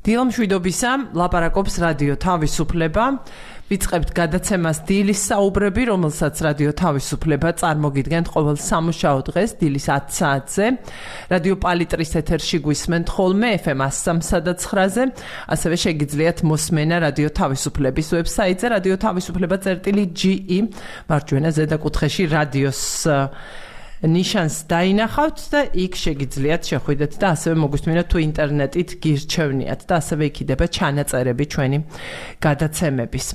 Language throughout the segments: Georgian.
დილამშვიდობისა, ლაპარაკობს რადიო თავისუფლება. ვიწყებთ გადაცემას დილის საუბრები, რომელსაც რადიო თავისუფლება წარმოგიდგენთ ყოველ სამუშაო დღეს დილის 10 საათზე. რადიო პალიტრის ეთერში გვისმენთ ხოლმე FM 103.9-ზე. ასევე შეგიძლიათ მოსმენა რადიო თავისუფლების ვებსაიტზე radiotavisupleba.ge მარჯვენა ზედაკუთხეში რადიოს ნიშანს დაინახავთ და იქ შეგიძლიათ შეხვიდეთ და ასევე მოგვისმინოთ თუ ინტერნეტით გირჩევნიათ და ასევე იქიდება ჩანაწერები ჩვენი გადაცემების.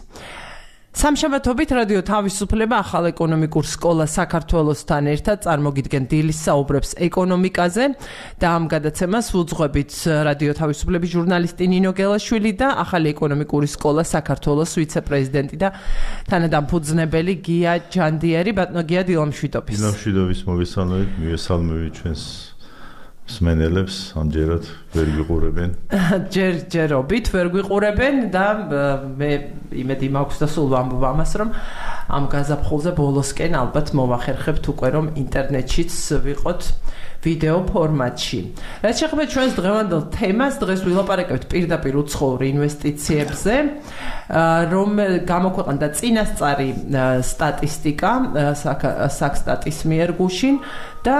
სამშაბათობით რადიო თავისუფლება ახალ ეკონომიკურ სკოლას საქართველოსთან ერთად წარმოგიდგენ დილის საუბრებს ეკონომიკაზე და ამ გადაცემას უძღვებით რადიო თავისუფლების ჟურნალისტი ნინო გელაშვილი და ახალი ეკონომიკური სკოლა საქართველოს ვიცე-პრეზიდენტი და თანადამფუძნებელი გია ჯანდიერი. ბატონო გია, დილამშვიდობის. დილამშვიდობის მოგესალმებით, მივესალმები ჩვენს მსმენელებს, ამჯერად ვერ გიყურებენ. ჯერობით ვერ გიყურებენ და მე იმედი მაქვს და სულ ვამბობ ამას, რომ ამ გაზაფხულზე ბოლოსკენ ალბათ მოვახერხებთ უკვე რომ ინტერნეტშიც ვიყოთ ვიდეო ფორმატში. რაც შეეხება ჩვენს დღევანდელ თემას, დღეს ვილაპარაკებთ პირდაპირ უცხოურ ინვესტიციებზე, რომ გამოქვეყნდა წინასწარი სტატისტიკა საქსტატის მიერ გუშინ და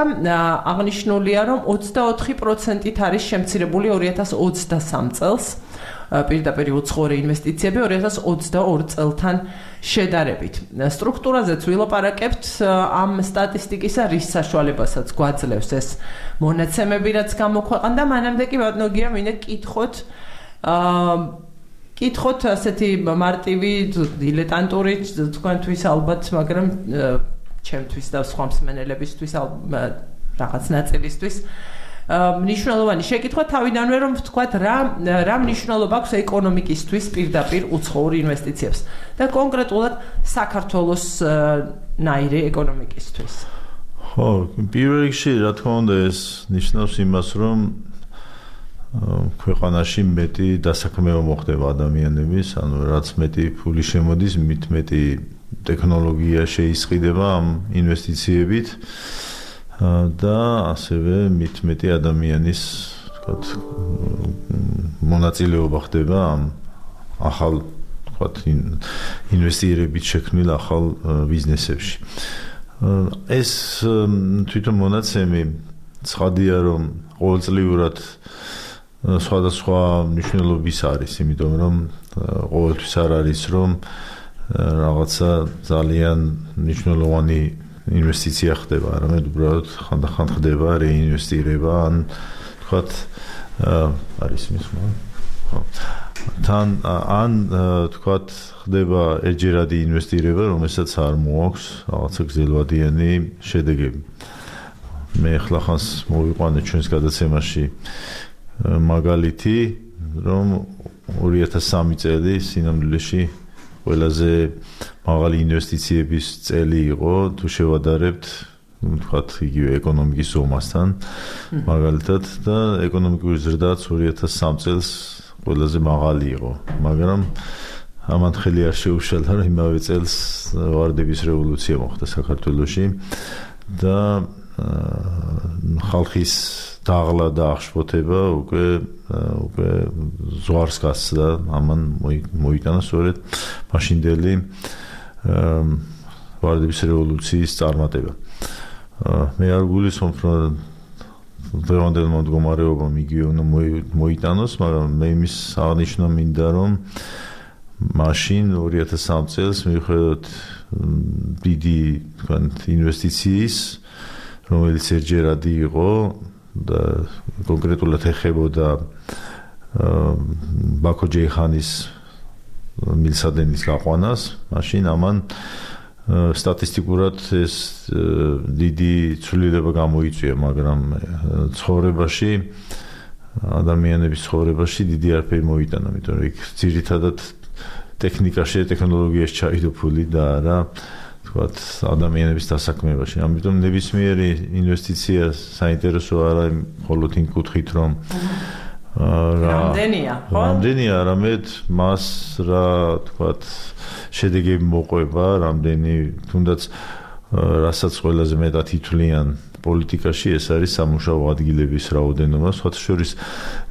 აღნიშნულია, რომ 24%-ით არის შემცირებული 2023 წელს პირდაპირ უცხოური ინვესტიციები 2022 წელთან შედარებით. სტრუქტურაზეც ვილაპარაკებთ ამ სტატისტიკისა რის საშუალებასაც გვაძლევს ეს მონაცემები, რაც გამოქვეყნდა. მანამდე კი ბატონო გია მინდა კითხოთ ასეთი მარტივი დილეტანტური თქვენთვის ალბათ, მაგრამ ჩემთვის და სხვა მსმენელებისთვის რაღაც ნაწილისთვის მნიშვნელოვანი შეკითხვა თავიდანვე, რომ ვთქვათ რა მნიშვნელობა აქვს ეკონომიკისთვის პირდაპირ უცხოურ ინვესტიციებს და კონკრეტულად საქართველოს ნაირი ეკონომიკისთვის. ხო, პირველ რიგში რა თქმა უნდა ეს ნიშნავს იმას, რომ ქვეყანაში მეტი დასაქმება მოხდება ადამიანების, ანუ რაც მეტი ფული შემოდის, მით მეტი ტექნოლოგია შეისყიდება ამ ინვესტიციებით და ასევე მით მეტი ადამიანის, ვთქვათ, მონაწილეობა ხდება ამ ახალ, ვთქვათ, ინვესტირებით შექმნილ ახალ ბიზნესებში. ეს თვითონ მონაცემი ცხადია, რომ ყოველწლიურად სხვადასხვა მნიშვნელობის არის, იმიტომ რომ ყოველთვის არ არის, რომ რაღაცა ძალიან მნიშვნელოვანი ინვესტიცია ხდება, არამედ უბრალოდ ხანდახან ხდება რეინვესტირება, ან თქვათ არის მის თან ან თქვათ ხდება ერთჯერადი ინვესტირება, რომელსაც არ მოაქვს რაღაცა გრძელვადიანი შედეგები. მე ახლა ხანს მოვიყვანე ჩვენს გადაცემაში მაგალითი, რომ 2003 წელი სინამდვილეში ყველაზე მაღალი ინვესტიციების წელი იყო, თუ შევადარებთ, ვთქვათ, იგივე ეკონომიკის ზომასთან, მაგალითად და ეკონომიკური ზრდაც 2003 წელს ყველაზე მაღალი იყო, მაგრამ ამან ხელი არ შეუშალა, რომ იმავე წელს ვარდების რევოლუცია მოხდა საქართველოში და ხალხის დაღლა და აღშფოთება უკვე ზღვარს გასცდა, ამან მოიტანა სწორედ მაშინდელი ვარდების რევოლუციის წარმატება. მე არ გულისხმობ, რომ დღევანდელმა მდგომარეობამ იგივე უნდა მოიტანოს, მაგრამ მე იმის აღნიშვნა მინდა, რომ მაშინ 2003 წელს მიუხედავად დიდი ინვესტიციის, რომელიც ერთჯერადი იყო და კონკრეტულად ეხებოდა ბაქო ჯეიხანის მილსადენის გაყვანას, მაშინ ამან სტატისტიკურად ეს დიდი ცვლილება გამოიწვია, მაგრამ ცხოვრებაში, ადამიანების ცხოვრებაში დიდი არაფერი მოიტანა, იმიტომ რომ იქ ძირითადად ტექნიკაში, ტექნოლოგიაში ჩაიდო ფული და არა ვთქვათ, ადამიანების დასაქმებაში. ამიტომ ნებისმიერი ინვესტიცია საინტერესო არა მხოლოდ იმ კუთხით, რომ რამდენია, არამედ მას რა ვთქვათ, შედეგები მოყვება, რამდენი თუნდაც რასაც ყველაზე მეტად ითვლიან პოლიტიკაში ეს არის სამუშაო ადგილების რაოდენობა. სხვათა შორის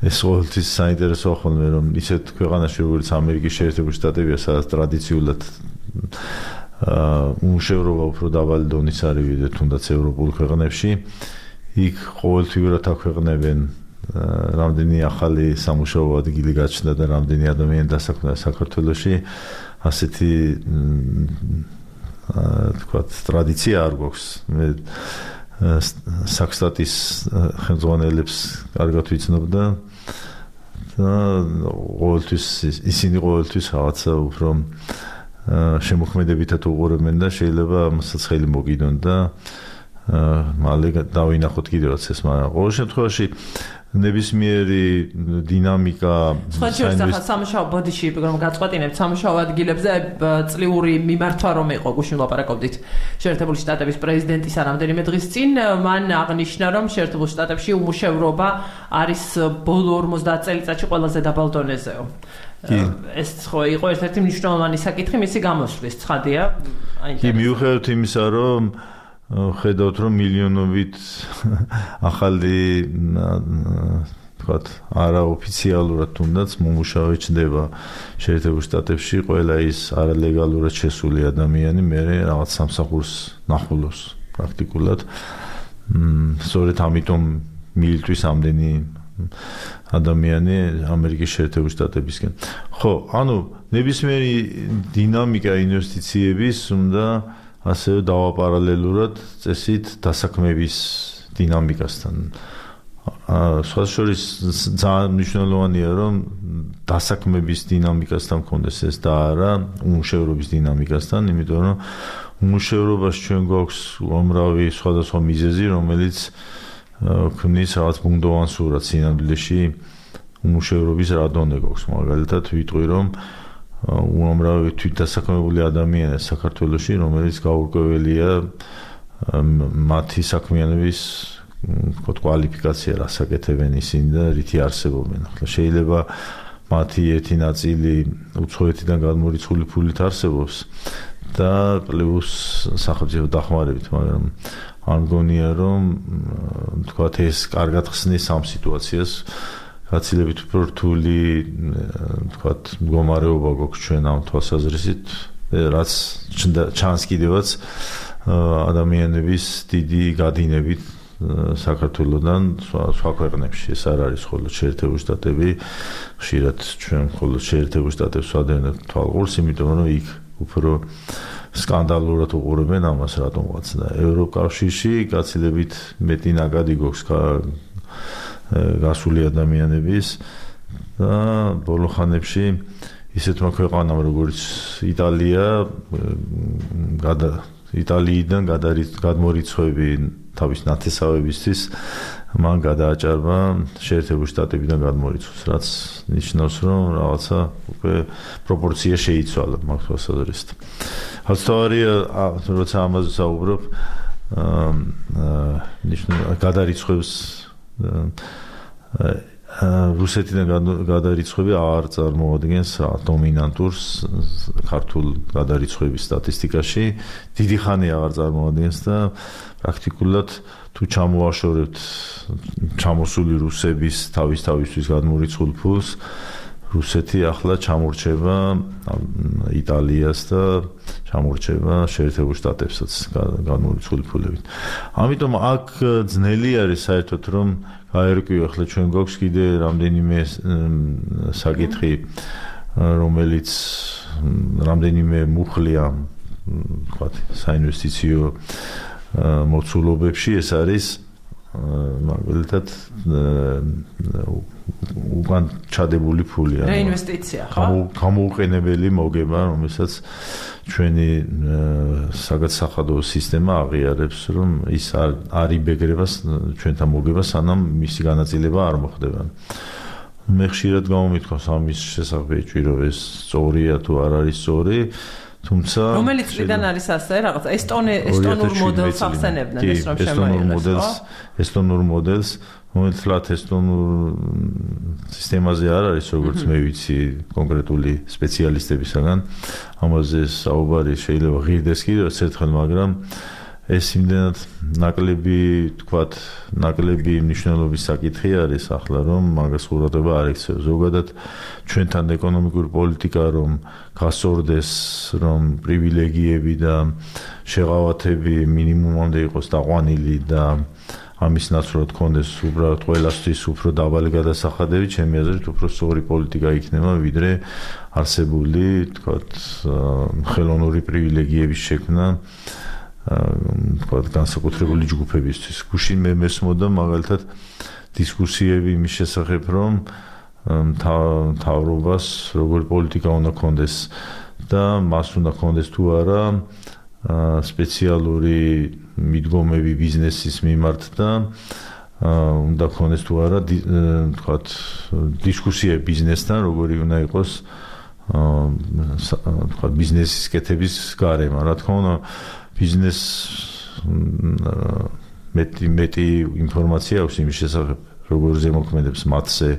ეს ყოველთვის საინტერესოა ხოლმე, რომ ისეთ ქვეყანაში, როგორც ამერიკის შეერთებული შტატებია, სადაც ტრადიციულად უმუშევრობა უფრო დაბალი დონის არის ვიდრე თუნდაც ევროპულ ქვეყნებში, იქ ყოველთვიურად აქვეყნებენ რამდენი ახალი სამუშაო ადგილი გაჩნდა და რამდენი ადამიანი დასაქმდა საქართველოში. ასეთი თქვათ ტრადიცია არ გვაქვს. მე საქსტატის ხელმძღვანელებს კარგად ვიცნობ და ისინი ყოველთვის რაღაცა უფრო შემოქმედებითად უყურებენ და შეიძლება ამასაც ხელი მოგიდონ და მალე დავინახოთ კიდევაც ეს, მაგრამ ყოველ შემთხვევაში ნებისმიერი დინამიკა სამუშაო ბოდიში რომ გაწყვეტინებთ სამუშაო ადგილებზე წლიური მიმართვა რომ იყო გუშინ ლაპარაკობდით შეერთებული შტატების პრეზიდენტის რამდენიმე დღის წინ მან აღნიშნა რომ შეერთებულ შტატებში უმუშევრობა არის ბოლო 50 წელიწადში ყველაზე დაბალ დონეზეო. ეს ხო იყო ერთ-ერთი მნიშვნელოვანი საკითხი მისი გამოსვლის ცხადია. კი მიუხედავად იმისა რომ ხედავთ რომ მილიონობით ახალი თქვათ არაოფიციალურად თუნდაც მომუშავე ჩნდება შეერთებულ შტატებში, ყველა ის არალეგალურად შესული ადამიანი მე რაღაც სამსახურს ნახულობს პრაქტიკულად. სწორედ ამიტომ მიიწვის ამდენი ადამიანი ამერიკის შეერთებულ შტატებისკენ. ხო, ანუ ნებისმიერი დინამიკა ინვესტიციების უნდა ასევე დავაპარალელურად წესით დასაქმების დინამიკასთან. სხვა შორის ძალიან მნიშვნელოვანია რომ დასაქმების დინამიკასთან მქონდეს ეს და არა უმუშევრობის დინამიკასთან, იმიტომ რომ უმუშევრობაში ჩვენ გვაქვს უამრავი სხვადასხვა მიზეზი, რომელიც ქმნის რაღაც ბუნდოვან სურათს სინამდვილეში უმუშევრობის რა დონე გვაქვს. მაგალითად ვიტყვი რომ უამრავი თვითდასაქმებული ადამიანია საქართველოში, რომელიც გაურკვეველია მათი საქმიანობის კვალიფიკაცია რას აკეთებენ ისინი და რითი არსებობენ. ახლა შეიძლება მათი ერთი ნაწილი უცხოეთიდან გადმორიცხული ფულით არსებობს და პლუს სახელმწიფო დახმარებით, მაგრამ არ მგონია რომ თქვათ ეს კარგად ხსნის ამ სიტუაციას. გაცილებით უფრო რთული თქვათ მდგომარეობა გვაქვს ჩვენ ამ თვალსაზრისით, რაც ჩანს კიდევაც ადამიანების დიდი გადინებით საქართველოდან სხვა ქვეყნებში. ეს არ არის მხოლოდ შეერთებული შტატები, ხშირად ჩვენ მხოლოდ შეერთებულ შტატებს ვადევნებთ თვალყურს, იმიტომ რომ იქ უფრო სკანდალურად უყურებენ ამას რატომღაც და ევროკავშირში გაცილებით მეტი ნაკადი გვაქვს გასული ადამიანების და ბოლო ხანებში ისეთმა ქვეყანამ როგორც იტალია იტალიიდან გადმორიცხვები თავის ნათესავებისთვის მან გადააჭარბა შეერთებულ შტატებიდან გადმორიცხვას, რაც ნიშნავს რომ რაღაცა უკვე პროპორცია შეიცვალა მაგ თვალსაზრისით. თავარია როცა ამაზე საუბრობ გადარიცხვებს რუსეთიდან გადარიცხვები არ წარმოადგენს დომინანტურს ქართულ გადარიცხვების სტატისტიკაში. დიდი ხანი აღარ წარმოადგენს და პრაქტიკულად თუ ჩამოაშორებთ ჩამოსული რუსების თავისთვის გადმორიცხულ ფულს, რუსეთი ახლა ჩამორჩება იტალიას და ჩამორჩება შეერთებულ შტატებსაც გადმორიცხული ფულებით. ამიტომ აქ ძნელი არის საერთოდ რომ გაერკვიო, ახლა ჩვენ გვაქვს კიდე რამდენიმე საკითხი, რომელიც რამდენიმე მუხლია ვთქვათ საინვესტიციო მოცულობებში. ეს არის მაგალითად უკან ჩადებული ფული, რეინვესტიცია, ხო? გამოუყენებელი მოგება, რომელსაც ჩვენი საგადასახადო სისტემა აღიარებს, რომ ის არ იბეგრება ჩვენთან მოგება, სანამ მისი განაწილება არ მოხდება. მე ხშირად გამომითხოვს ამის შესახებ ეჭვირო ეს სწორია თუ არ არის სწორი, თუმცა რომელიც წლიდან არის ასე რაღაც ესტონურ მოდელს ახსენებდნენ ეს რომ შემოიღეს, ესტონურ მოდელს, რომელთლათ ესტონურ სისტემაზე არ არის, როგორც მე ვიცი კონკრეტული სპეციალისტებისგან, ამაზე საუბარი შეიძლება ღირდეს კიდევ ერთხელ, მაგრამ ეს იმდენად ნაკლები მნიშვნელობის საკითხი არის ახლა რომ მაგას ყურადღება არ ექცევს. ზოგადად ჩვენთან ეკონომიკური პოლიტიკა რომ გასწორდეს, რომ პრივილეგიები და შეღავათები მინიმუმამდე იყოს დაყვანილი და ამის ნაცვლად ქონდეს უბრალოდ ყველასთვის უფრო დაბალი გადასახადები, ჩემი აზრით უფრო სწორი პოლიტიკა იქნება, ვიდრე არსებული, თქვათ, ხელოვნური პრივილეგიების შექმნა თქვათ განსაკუთრებული ჯგუფებისთვის. გუშინ მე მესმოდა მაგალითად დისკუსიები იმის შესახებ, რომ მთავრობას როგორი პოლიტიკა უნდა ქონდეს და მას უნდა ქონდეს თუ არა სპეციალური მიდგომები ბიზნესის მიმართ და უნდა ქონდეს თუ არა თქვათ დისკუსიები ბიზნესთან, როგორი უნდა იყოს თქვათ ბიზნესის კეთების გარემო. რა თქმა უნდა ბიზნეს მეტი ინფორმაცია აქვს იმის შესახებ, როგორ ზემოქმედებს მათზე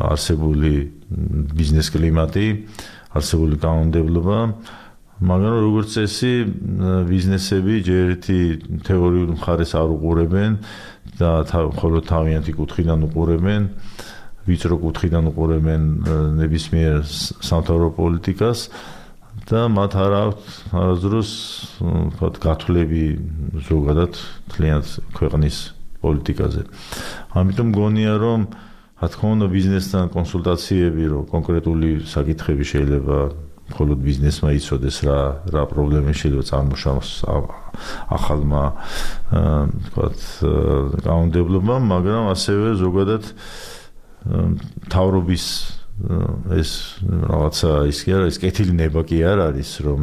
არსებული ბიზნეს კლიმატი, არსებული კანონმდებლობა, მაგრამ როგორც წესი ბიზნესები ჯერ ერთი თეორიულ მხარეს არ უყურებენ და მხოლოდ თავიანთი კუთხიდან უყურებენ, ვიწრო კუთხიდან უყურებენ ნებისმიერ სამთავრო პოლიტიკას და მათ არ აქვთ არასდროს თქვათ გათვლები ზოგადად მთლიანად ქვეყნის პოლიტიკაზე. ამიტომ მგონია რომ რა თქმა უნდა ბიზნესთან კონსულტაციები რომ კონკრეტული საკითხები შეიძლება მხოლოდ ბიზნესმა იცოდეს რა პრობლემები შეიძლება წარმოშოს ახალმა თქვათ კანონმდებლობამ, მაგრამ ასევე ზოგადად მთავრობის ეს რაღაცა ის კი არა, ეს კეთილი ნება კი არ არის, რომ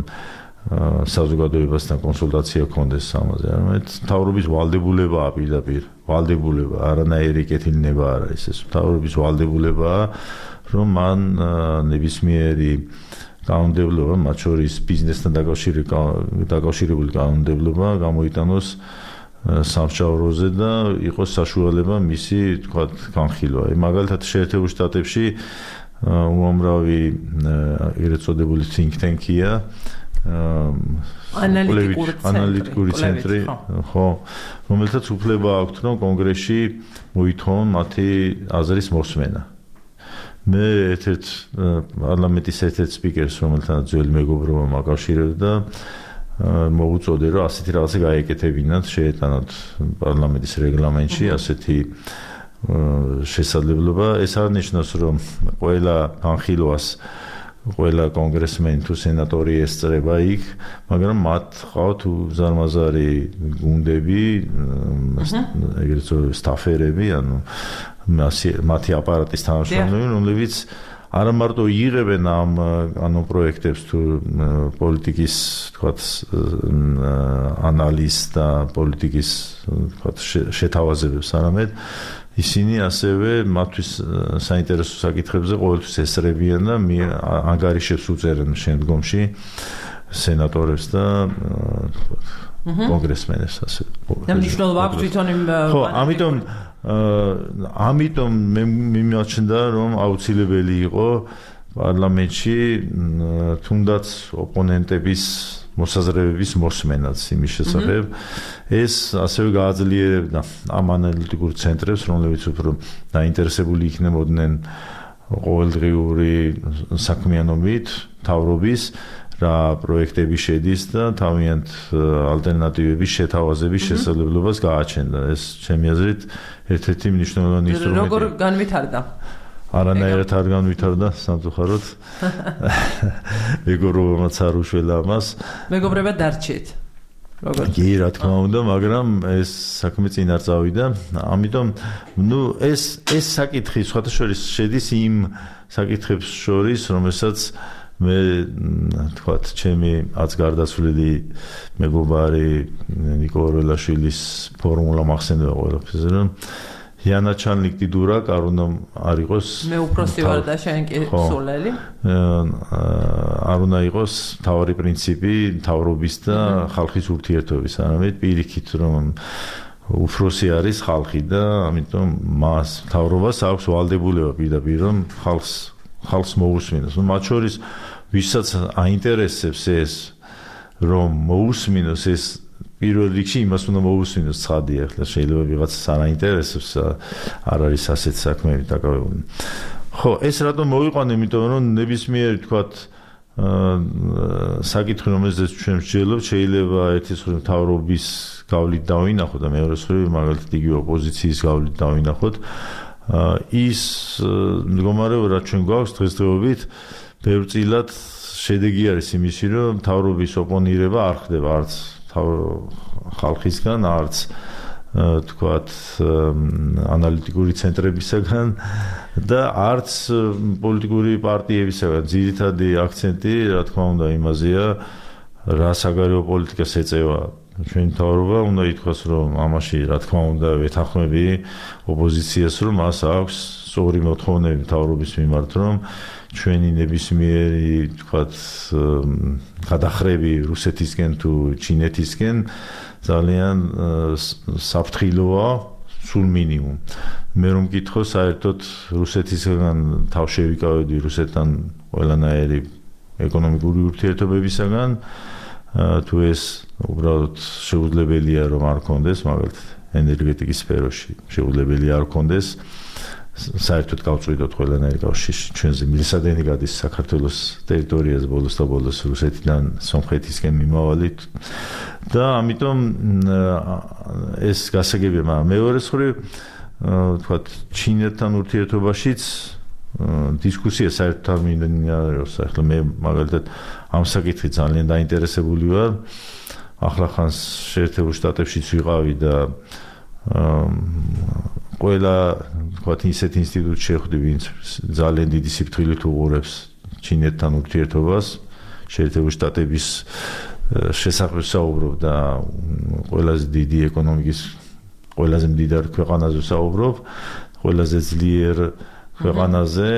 საზოგადოებასთან კონსულტაცია ქონდეს ამაზე. არამედ მთავრობის ვალდებულებაა პირდაპირ, ვალდებულება, არანაირი კეთილი ნება არ არის ეს. მთავრობის ვალდებულებაა, რომ მან ნებისმიერი კანონმდებლობა, მათ შორის ბიზნესთან დაკავშირებული კანონმდებლობა გამოიტანოს სამსჯავროზე და იყოს საშუალება მისი თქვათ განხილვა. მაგალითად შეერთებულ შტატებში უამრავი ეგრეთ წოდებული think tank-ია ანალიტიკური ცენტრი, ხო, რომელთაც უფლება აქვთ, რომ კონგრესში მოითხოვონ მათი აზრის მოსმენა. მე ერთ-ერთ პარლამენტის ერთ-ერთ სპიკერს, რომელთანაც ძველი მეგობრობა მაკავშირებდა, მოუწოდე, რომ ასეთი რაღაცა გაეკეთებინათ, შეეტანოთ პარლამენტის რეგლამენტში ასეთი შესაძლებლობა. ეს არ ნიშნავს, რომ ყველა განხილვას ყველა კონგრესმენი თუ სენატორი ესწრება იქ, მაგრამ მათ ყავთ უზარმაზარი გუნდები, ეგრეთ წოდებული სტაფერები, ანუ მათი აპარატის თანამშრომლები, რომლებიც არა მარტო იღებენ ამ კანონპროექტებს თუ პოლიტიკის თქვათ ანალიზს და პოლიტიკის თქვათ შეთავაზებებს, არამედ ისინი ასევე მათთვის საინტერესო საკითხებზე ყოველთვის ესწრებიან და ანგარიშებს უწერენ შემდგომში სენატორებს და კონგრესმენებს ასე. და მნიშვნელობა აქვს თვითონ იმ ხო, ამიტომ მე მიმაჩნდა, რომ აუცილებელი იყო პარლამენტში თუნდაც ოპონენტების მოსაზრებების მოსმენაც იმის შესახებ. ეს ასევე გააძლიერებდა ამ ანალიტიკურ ცენტრებს, რომლებიც უფრო დაინტერესებული იქნებოდნენ ყოველდღიური საქმიანობით, მთავრობის რა პროექტები შედის და თავიანთ ალტერნატივების შეთავაზების შესაძლებლობას გააჩენდა. ეს ჩემი აზრით ერთ-ერთი მნიშვნელოვანი ინსტრუმენტია. როგორ განვითარდა? არანაირად არ განვითარდა სამწუხაროდ. მეგობრობამაც არ უშველა ამას. მეგობრებად დარჩეთ. როგორ? კი, რა თქმა უნდა, მაგრამ ეს საქმე წინ არ წავიდა. ამიტომ, ეს საკითხი სხვათა შორის შედის იმ საკითხებს შორის, რომელსაც მე თქვათ, ჩემი აც გარდაცვლილი მეგობარი ნიკო ორელაშვილის ფორმულა მახსენდება ყველაფერზე, რომ იანაჩალნიკ დიდურაკ არ უნდა არ იყოს მე უფროსი ვარ და შენ კი სულელი. არ უნდა იყოს თავარი პრინციპი მთავრობის და ხალხის ურთიერთობის, არამედ პირიქით, რომ უფროსი არის ხალხი და ამიტომ მას მთავრობას აქვს ვალდებულება პირდაპირ, რომ ხალხს მოусმინოს. მათ შორის ვისაც აინტერესებს ეს, რომ მოусმინოს ეს პირველ რიგში იმას უნდა მოусმინოს ცხადია, ახლა შეიძლება ვიღაცას არ აინტერესებს, არ არის ასეთ საქმეები დაკავებული. ხო, ეს რატომ მოვიყვანე, იმიტომ რომ ნებისმიერი თქვათ საკითხი, რომელზეც ჩვენ ვსჯელობთ, შეიძლება ერთის მხრივ მთავრობის გავლით დავინახოთ და მეორეს მხრივ მაგალითად იგივე ოპოზიციის გავლით დავინახოთ. ის მდგომარეობა, რაც ჩვენ გვაქვს დღესდღეობით, ბევრწილად შედეგი არის იმისი, რომ მთავრობის ოპონირება არ ხდება არც ხალხისგან, არც თქვათ ანალიტიკური ცენტრებისგან და არც პოლიტიკური პარტიებისგან. ძირითადი აქცენტი, რა თქმა უნდა, იმაზეა, რა საგარეო პოლიტიკას ეწევა ჩვენი მთავრობა. უნდა ითქვას, რომ ამაში, რა თქმა უნდა, ვეთანხმები ოპოზიციას, რომ მას აქვს სწორი მოთხოვნები მთავრობის მიმართ, რომ ჩვენი ნებისმიერი, თქვათ, გადახრები რუსეთისკენ თუ ჩინეთისკენ ძალიან საფრთხილოა, სულ მინიმუმ. მე რომ მკითხო, საერთოდ რუსეთისგან თავშევიკავდი რუსეთთან ყველანაირი ეკონომიკური ურთიერთობებისგან, თუ ეს უბრალოდ შეუძლებელია რომ არ კონდეს, მაგალითად ენერგეტიკის სფეროში შეუძლებელია არ კონდეს, საერთოდ გავწვიდოთ ყველანაირი კავშირი. ჩვენზე მილსადენი გადის საქართველოს ტერიტორიაზე ბოლოს და ბოლოს რუსეთიდან სომხეთისკენ მიმავალი და ამიტომ ეს გასაგებია, მაგრამ მეორეს მხრივ თქვათ ჩინეთთან ურთიერთობაშიც დისკუსია საერთოდ არ მინდაობს. ახლა მე მაგალითად ამ საკითხით ძალიან დაინტერესებული ვარ. ახლახანს შეერთებულ შტატებშიც ვიყავი და ყველა თქვათ ისეთ ინსტიტუტში შეხვდი, ვინც ძალიან დიდი სიფრთხილით უყურებს ჩინეთთან ურთიერთობას, შეერთებულ შტატების შესახებ საუბრობ და ყველაზე დიდი ეკონომიკის ყველაზე მდიდარ ქვეყანაზე საუბრობ, ყველაზე ძლიერ ქვეყანაზე,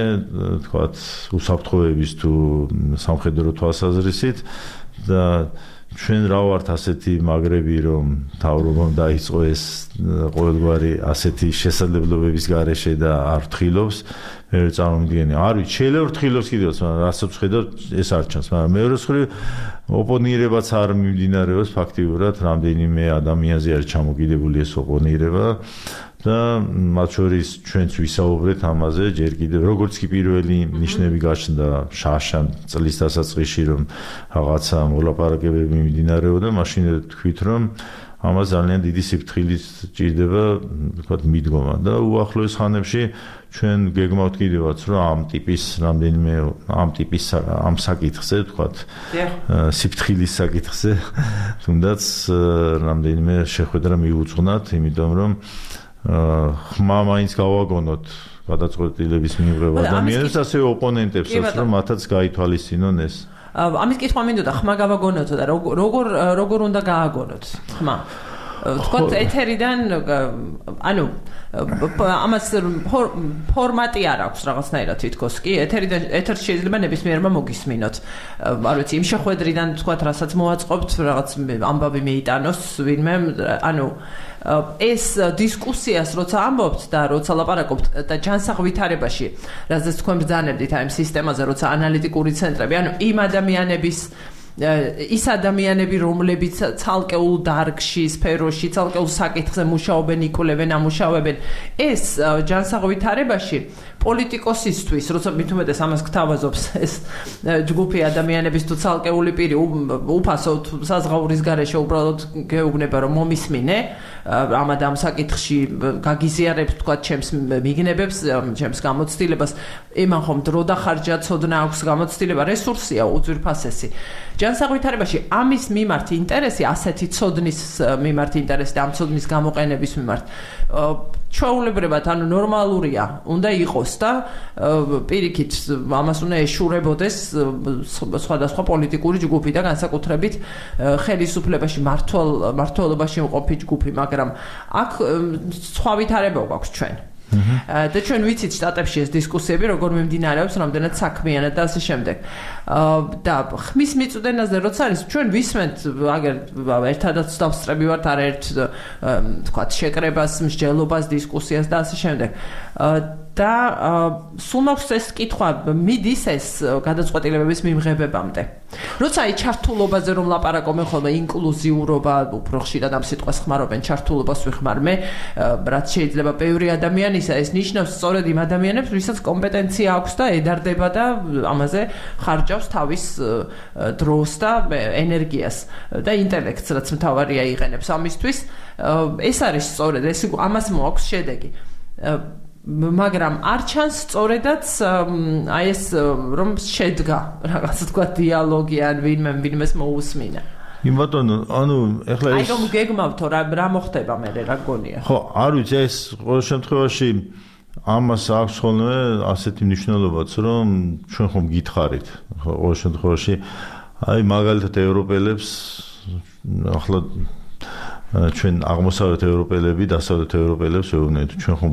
თქვათ, უსაფრთხოების თუ სამხედრო თვალსაზრისით და ჩვენ რა ვართ ასეთი მაგრები, რომ მთავრობამ დაიწყო ეს ყოველგვარი ასეთი შესაძლებლობების გარეშე და არ ფრთხილობს. მე წარმოვიდგენი, არ ვიცი, შეიძლება ფრთხილობს კიდევაც, მაგრამ რასაც ვხედავ, ეს არ ჩანს, მაგრამ მეორეს მხრივ ოპონირებაც არ მიმდინარეობს ფაქტიურად, რამდენიმე ადამიანზე არის ჩამოკიდებული ეს ოპონირება და მათ შორის ჩვენც ვისაუბრეთ ამაზე, ჯერ კიდევ როგორც კი პირველი ნიშნები გაჩნდა შაშან წლის დასაწყისში, რომ რაღაცა მოლაპარაკებები მიმდინარეობდა, მაშინ თქვით, რომ ამას ძალიან დიდი სიფრთხილით ჭირდება, თქვათ, მიდგომა და უახლოეს ხანებში ჩვენ გეგმავთ კიდევაც, რომ ამ ტიპის რამდენიმე ამ საკითხზე, თქვათ, სიფრთხილის საკითხზე თუნდაც რამდენიმე შეხვედრა მიუძღვნათ, იმიტომ რომ ხმა მაინც გავაგონოთ გადაწყვეტილების მიღება ადამიანებს, ასევე ოპონენტებსაც, რომ მათაც გაითვალისწინონ ეს. ამის კითხვა მინდოდა, ხმა გავაგონოთ და როგორ უნდა გააგონოთ ხმა? თქვათ ეთერიდან, ანუ ამას ფორმატი არ აქვს რაღაცნაირად თითქოს კი, ეთერში შეიძლება ნებისმიერმა მოგისმინოთ. არ ვიცი, იმ შეხვედრიდან თქვათ, რასაც მოაწყობთ, რაღაც ამბავი მეიტანოს ვინმე, ანუ ეს დისკუსიას როცა ამბობთ და როცა ლაპარაკობთ და ჯანსაღვითარებაში, რაზეც თქვენ ბრძანებდით აი ამ სისტემაზე, როცა ანალიტიკური ცენტრები, ანუ იმ ადამიანების ის ადამიანები, რომლებიც ცალკეულ დარგში, სფეროში, ცალკეულ საკითხზე მუშაობენ, იკვლევენ, ამუშავებენ, ეს ჯანსაღვითარებაში პოლიტიკოსისთვის, როცა მით უმეტეს ამას გთავაზობს ეს ჯგუფი ადამიანების თუ ცალკეული პირი უფასო საზღაურის გარეშე უბრალოდ გეუბნება, რომ მომისმინე ამად ამ საკითხში გაგიზიარებს თქვათ ჩემს მიგნებებს, ჩემს გამოცდილებას, იმან ხომ დრო დახარჯა, ცოდნა აქვს, გამოცდილება, რესურსია უძვირფასესი. ჯანსაღვითარებაში ამის მიმართ ინტერესი, ასეთი ცოდნის მიმართ ინტერესი და ამ ცოდნის გამოყენების მიმართ ჩვეულებრივად, ანუ ნორმალურია, უნდა იყოს და პირიქით ამას უნდა ეშურებოდეს სხვადასხვა პოლიტიკური ჯგუფი და განსაკუთრებით ხელისუფლებაში მმართველობაში მყოფი ჯგუფი, მაგრამ აქ სხვა ვითარება გვაქვს ჩვენ. და ჩვენ ვიცით შტატებში ეს დისკუსიები როგორ მიმდინარეობს, რამდენად საქმიანად და ასე შემდეგ. და ხმის მიწვდენაზე როცა არის, ჩვენ ვისმენთ, აგერ ერთადაც დავსწრები ვართ არაერთ თქვათ შეკრებას, მსჯელობას, დისკუსიას და ასე შემდეგ. და სულ მაქვს ეს კითხვა მიდის ეს გადაწყვეტილებების მიმღებებამდე. როცა აი ჩართულობაზე რომ ლაპარაკობენ ხოლმე ინკლუზიურობა, უფრო ხშირად ამ სიტყვას ხმარობენ, ჩართულობას ვიხმარ მე, რაც შეიძლება ბევრი ადამიანისა, ეს ნიშნავს სწორედ იმ ადამიანებს, ვისაც კომპეტენცია აქვს და ედარდება და ამაზე ხარჯავს თავის დროს და ენერგიას და ინტელექტს, რაც მთავარია იყენებს ამისთვის. ეს არის სწორედ, ეს ამას მოაქვს შედეგი. მაგრამ არ ჩანს სწორედაც აი ეს რომ შედგა რაღაც თქვა დიალოგი ან ვინმეს მოусმინა. იმ ბატონო, ანუ ეხლა ეს აი რომ გეგმავთო რა მოხდება მე რა გონია. ხო, არ ვიცი ეს ყოველ შემთხვევაში ამას აქვს ხოლმე ასეთი მნიშვნელობაც რომ ჩვენ ხომ გითხარით. ხო, ყოველ შემთხვევაში აი მაგალითად ევროპელებს ახლა ჩვენ აღმოსავლეთ ევროპელები, დასავლეთ ევროპელებს ვეუბნებით, ჩვენ ხომ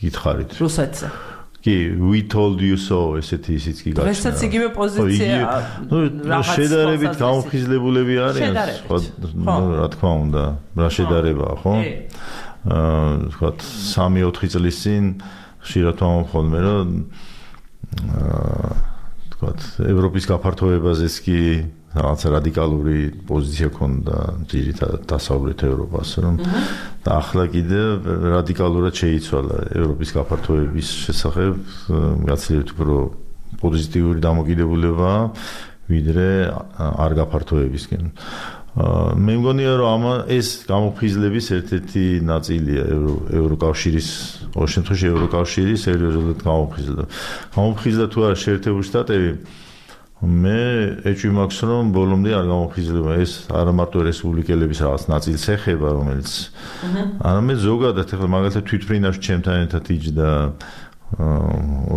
გითხარით. რუსეთზე. კი, we told you so, ესეთი ისიც კი გაჩნდა. დღესაც იგივე პოზიცია. ნუ შედარებით გამოფხიზლებულები არიან, ხო, რა თქმა უნდა, რა შედარებაა, ხო? ვთქვათ, 3-4 წლის წინ ხშირად ვამბობ რომ ვთქვათ, ევროპის გაფართოებაზეც კი რაღაცა რადიკალური პოზიცია ქონდა ძირითადად დასავლეთ ევროპას, რომ და ახლა კიდე რადიკალურად შეიცვალა ევროპის გაფართოების შესახებ, გაცილებით უფრო პოზიტიური დამოკიდებულება ვიდრე არ გაფართოებისკენ. მე მგონია რომ ეს გამოფხიზლების ერთ-ერთი ნაწილია ევროკავშირის, ყოველ შემთხვევაში ევროკავშირი სერიოზულად გამოფხიზლა. გამოფხიზლა თუ არა შეერთებული შტატები, მე ეჭვი მაქვს რომ ბოლომდე არ გამოფხიზლება ეს არა მარტო რესპუბლიკელების რაღაც ნაწილს ეხება, რომელიც არამედ ზოგადად ახლა მაგალითად თვითფრინავში ჩემთან ერთად იჯდა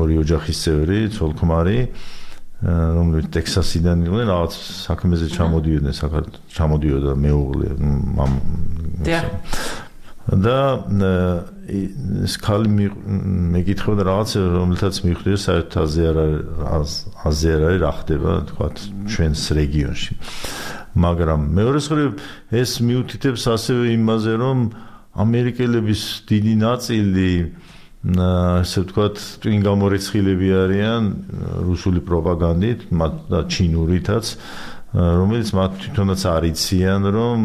ორი ოჯახის წევრი, ცოლ-ქმარი, რომლებიც ტექსასიდან იყვნენ, რაღაც საქმეზე ჩამოდიოდა მეუღლე და ეს ქალი მეკითხებოდა რაღაც რომელთაც მიხვდია საერთოდ აზე არ არის რა ხდება თქვათ ჩვენს რეგიონში. მაგრამ მეორეს მხრივ ეს მიუთითებს ასევე იმაზე რომ ამერიკელების დიდი ნაწილი ასე ვთქვათ ტვინ გამორიცხილები არიან რუსული პროპაგანდით და ჩინურითაც რომელიც მათ თვითონაც არ იციან რომ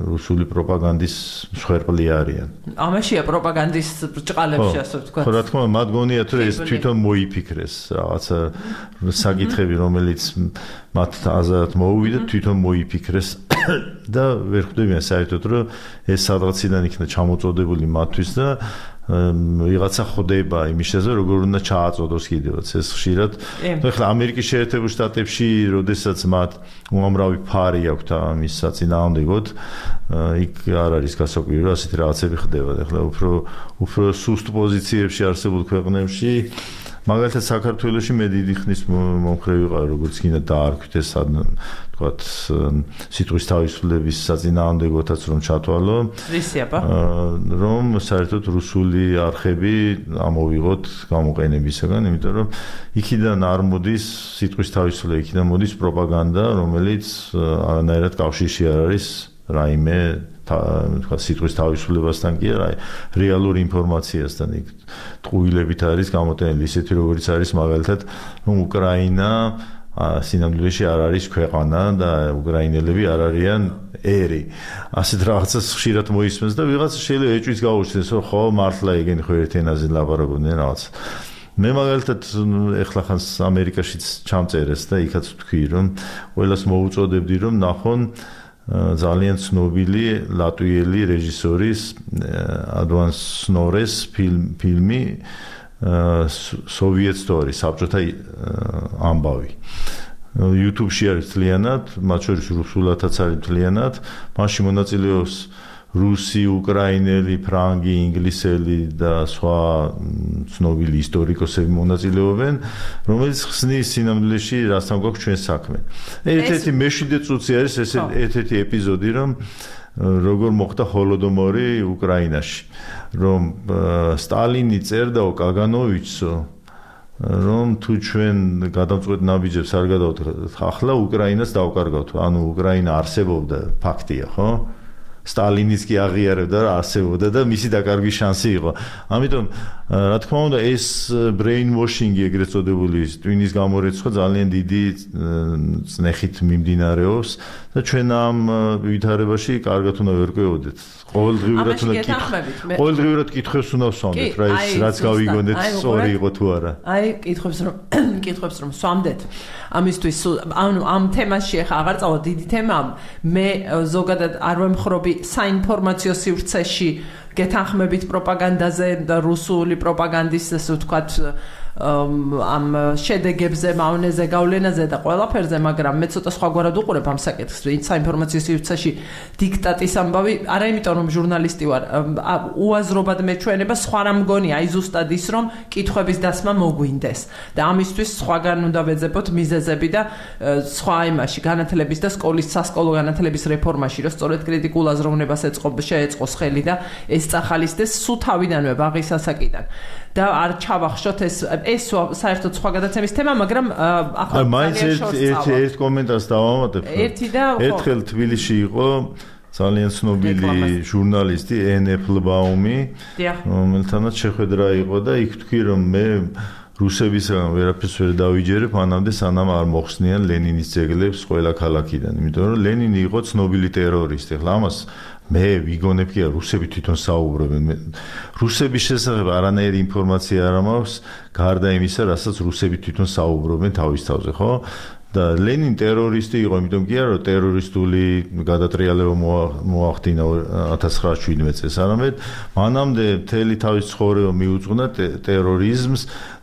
რუსული პროპაგანდის მსხვერპლი არიან. ამაშია პროპაგანდის ბრჭყალებში ასე ვთქვათ. ხო, რა თქმა უნდა, მათ გონიათ რომ ეს თვითონ მოიფიქრეს რაღაცა საკითხები რომელიც მათ აზრად მოუვიდა თვითონ მოიფიქრეს და ვერ ხვდებიან საერთოდ რომ ეს სადღაციდან იქნა ჩამოწოდებული მათთვის და ვიღაცა ხდება იმის შესაძლებლად როგორ უნდა ჩააწოდოს კიდევაც ეს ხშირად ახლა ამერიკის შეერთებულ შტატებში როდესაც მათ უამრავი ფარი აქვთ ამის საწინააღმდეგოდ იქ არ არის გასაკვირი რომ ასეთი რაღაცები ხდება ახლა უფრო სუსტ პოზიციებში არსებულ ქვეყნებში მაგალითად საქართველოში მე დიდი ხნის მომხრე ვიყავ როგორც კიდე დაარქვით ეს თქვათ სიტყვის თავისუფლების საწინააღმდეგოთაც რომ ჩათვალო რომ საერთოდ რუსული არხები ამოვიღოთ გამოყენებისგან იმიტომ რომ იქიდან არ მოდის სიტყვის თავისუფლება იქიდან მოდის პროპაგანდა რომელიც არანაირად კავშირში არ არის რაიმე თქვა სიტყვის თავისუფლებასთან კი არა რეალურ ინფორმაციასთან იქ ტყუილებით არის გამოტენილი ისეთი როგორც არის მაგალითად რომ უკრაინა სინამდვილეში არ არის ქვეყანა და უკრაინელები არ არიან ერი ასეთ რაღაცას ხშირად მოისმენს და ვიღაც შეიძლება ეჭვიც გაუჩნდეს რომ ხო მართლა ეგენი ხო ერთ ენაზე ლაპარაკობდნენ რაღაც მე მაგალითად ეხლა ხანს ამერიკაშიც ჩამწერეს და იქაც ვთქვი რომ ყველას მოუწოდებდი რომ ნახონ ძალიან ცნობილი ლატვიელი რეჟისორის ადვან სნორეს ფილმი Soviet Story, საბჭოთა ამბავი. YouTube-ში არის თლიანად, მათ შორის რუსულადაც არის თლიანად, მასში მონაწილეობს რუსი, უკრაინელი, ფრანგი, ინგლისელი და სხვა ცნობილი ისტორიკოსები მონაწილეობენ, რომელიც ხსნის სინამდვილეში რასთან გვაქვს ჩვენ საქმე. ერთ-ერთი მეშვიდე წუთი არის ეს ერთ-ერთი ეპიზოდი, რომ როგორ მოხდა ჰოლოდომორი უკრაინაში, რომ სტალინი წერდა კაგანოვიჩსო, რომ თუ ჩვენ გადამწყვეტ ნაბიჯებს არ გადავთ, ახლა უკრაინას დავკარგავთ, ანუ უკრაინა არსებობდა, ფაქტია, ხო? სტალინიც კი აღიარებდა და არსებობდა და მისი დაკარგვის შანსი იყო. ამიტომ რა თქმა უნდა ეს brainwashing-ი ეგრეთ წოდებული ტვინის გამორეცხვა ძალიან დიდი წნეხით მიმდინარეობს და ჩვენ ამ ვითარებაში კარგად უნდა ვერკვევოდეთ. ყოველდღიურად კითხვებს უნდა ვსვამდეთ რა ის რაც გავიგონდეთ სწორი იყო თუ არა. აი კითხვებს რომ ვსვამდეთ ამისთვის ამ თემაში ახლა აღარ წავა დიდი თემა მე ზოგადად არ ვემხრობი საინფორმაციო სივრცეში გეთანხმებით პროპაგანდაზე და რუსული პროპაგანდის ასე ვთქვათ ამ შედეგებზე, მავნეზე, გავლენაზე და ყველაფერზე, მაგრამ მე ცოტა სხვაგვარად უყურებ ამ საკითხს, ვინც საინფორმაციო სივრცეში დიქტატის ამბავი, არა იმიტომ რომ ჟურნალისტი ვარ, უაზრობად მეჩვენება, სხვა რა მგონია, აი ზუსტად ის რომ კითხვების დასმა მოგვინდეს და ამისთვის სხვაგან უნდა ვეძებოთ მიზეზები და სხვა იმაში, განათლების და სკოლის სასკოლო განათლების რეფორმაში, რომ სწორედ კრიტიკულ აზროვნებას შეეწყოს ხელი და ეს წახალისდეს სულ თავიდანვე ბაღის ასაკიდან. და არ ჩავახშოთ ეს საერთოდ სხვა გადაცემის თემა, მაგრამ ახლა მაინც ერთ კომენტარს დავამატებ. ერთხელ თბილისში იყო ძალიან ცნობილი ჟურნალისტი ენეფლბაუმი, რომელთანაც შეხვედრა იყო და იქ თქვი რომ მე რუსებისგან ვერაფერს ვერ დავიჯერებ, მანამდე სანამ არ მოხსნიან ლენინის ძეგლებს ყველა ქალაქიდან, იმიტომ რომ ლენინი იყო ცნობილი ტერორისტი. ახლა ამას მე ვიგონებ კი რუსები თვითონ საუბრობენ. რუსების შესახებ არანაირი ინფორმაცია არ მაქვს, გარდა იმისა, რასაც რუსები თვითონ საუბრობენ თავის თავზე, ხო? და ლენინი ტერორისტი იყო, იმიტომ კი არა რომ ტერორისტული გადატრიალება მოახდინა 1917 წელს, არამედ მანამდე მთელი თავის ცხოვრება მიუძღვნა ტერორიზმს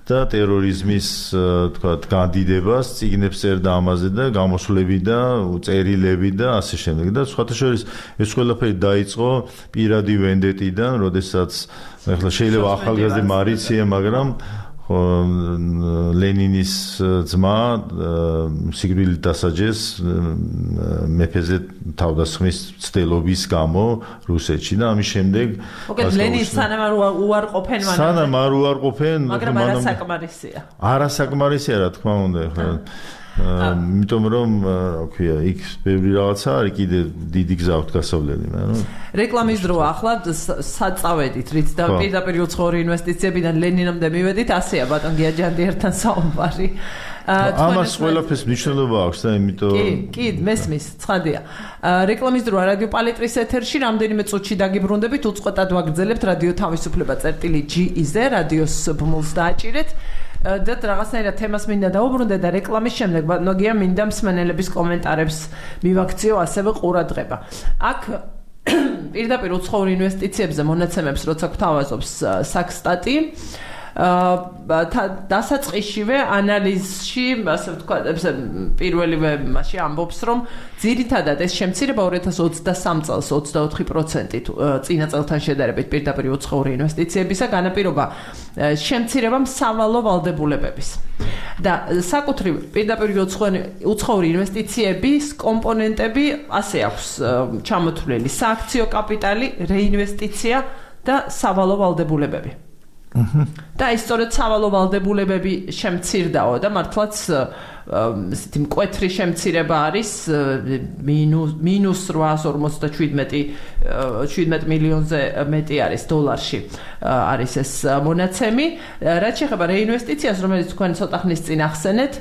და ტერორიზმის თქვათ განდიდებას, წიგნებს წერდა ამაზე და გამოსვლები და წერილები და ასე შემდეგ და სხვათა შორის ეს ყველაფერი დაიწყო პირადი ვენდეტიდან, როდესაც ახლა შეიძლება ახალგაზრდა მარიცია, მაგრამ ლენინის ძმა სიკვდილით დასაჯეს მეფეზე თავდასხმის ცდილობის გამო რუსეთში და ამის შემდეგ ლენინს სანამ უარყოფენ მანამდე. სანამ არ უარყოფენ, მაგრამ არასაკმარისია. არასაკმარისია რა თქმა უნდა ახლა. იმიტომ რომ რა ქვია, იქ ბევრი რაღაცა არის კიდე დიდი გზა აქვს გასავლელი, მაგრამ რეკლამის დროა ახლა საწავედით, რით და პირდაპირ უცხოური ინვესტიციებიდან ლენინამდე მივედით, ასეა ბატონ გიაჯანდიერთან საუბარი. ამას ყველაფერს მნიშვნელობა აქვს და იმიტომ კი, მესმის, ცხადია. რეკლამის დროა რადიო პალიტრის ეთერში, რამდენიმე წუთში დაგიბრუნდებით, უწყვეტად ვაგრძელებთ რადიო თავისუფლება.ge-ზე, რადიოს ბმულს დააჭირეთ. და რაღაცნაირად თემას მინდა დაუბრუნდე და რეკლამის შემდეგ ნოგია მინდა მსმენელების კომენტარებს მივაქციო ასევე ყურადღება. აქ პირდაპირ უცხოურ ინვესტიციებზე მონაცემებს როცა გვთავაზობს საქსტატი დასაწყისშივე ანალიზში, ასე ვთქვათ, პირველივე მასში ამბობს, რომ ძირითადად ეს შემცირება 2023 წელს 24% წინა წელთან შედარებით პირდაპირ უცხოური ინვესტიციებისა განაპირობა შემცირებამ სავალო ვალდებულებების. და საკუთრივ პირდაპირ უცხოური ინვესტიციების კომპონენტები ასე აქვს ჩამოთვლილი: სააქციო კაპიტალი, რეინვესტიცია და სავალო ვალდებულებები. და ის სწორედ სავალო ვალდებულებები შემცირდაო და მართლაც ესეთი მკვეთრი შემცირება არის მინუს 857 მილიონზე მეტი არის დოლარში არის ეს მონაცემი. რაც შეეხება რეინვესტიციას, რომელიც თქვენ ცოტა ხნის წინ ახსენეთ,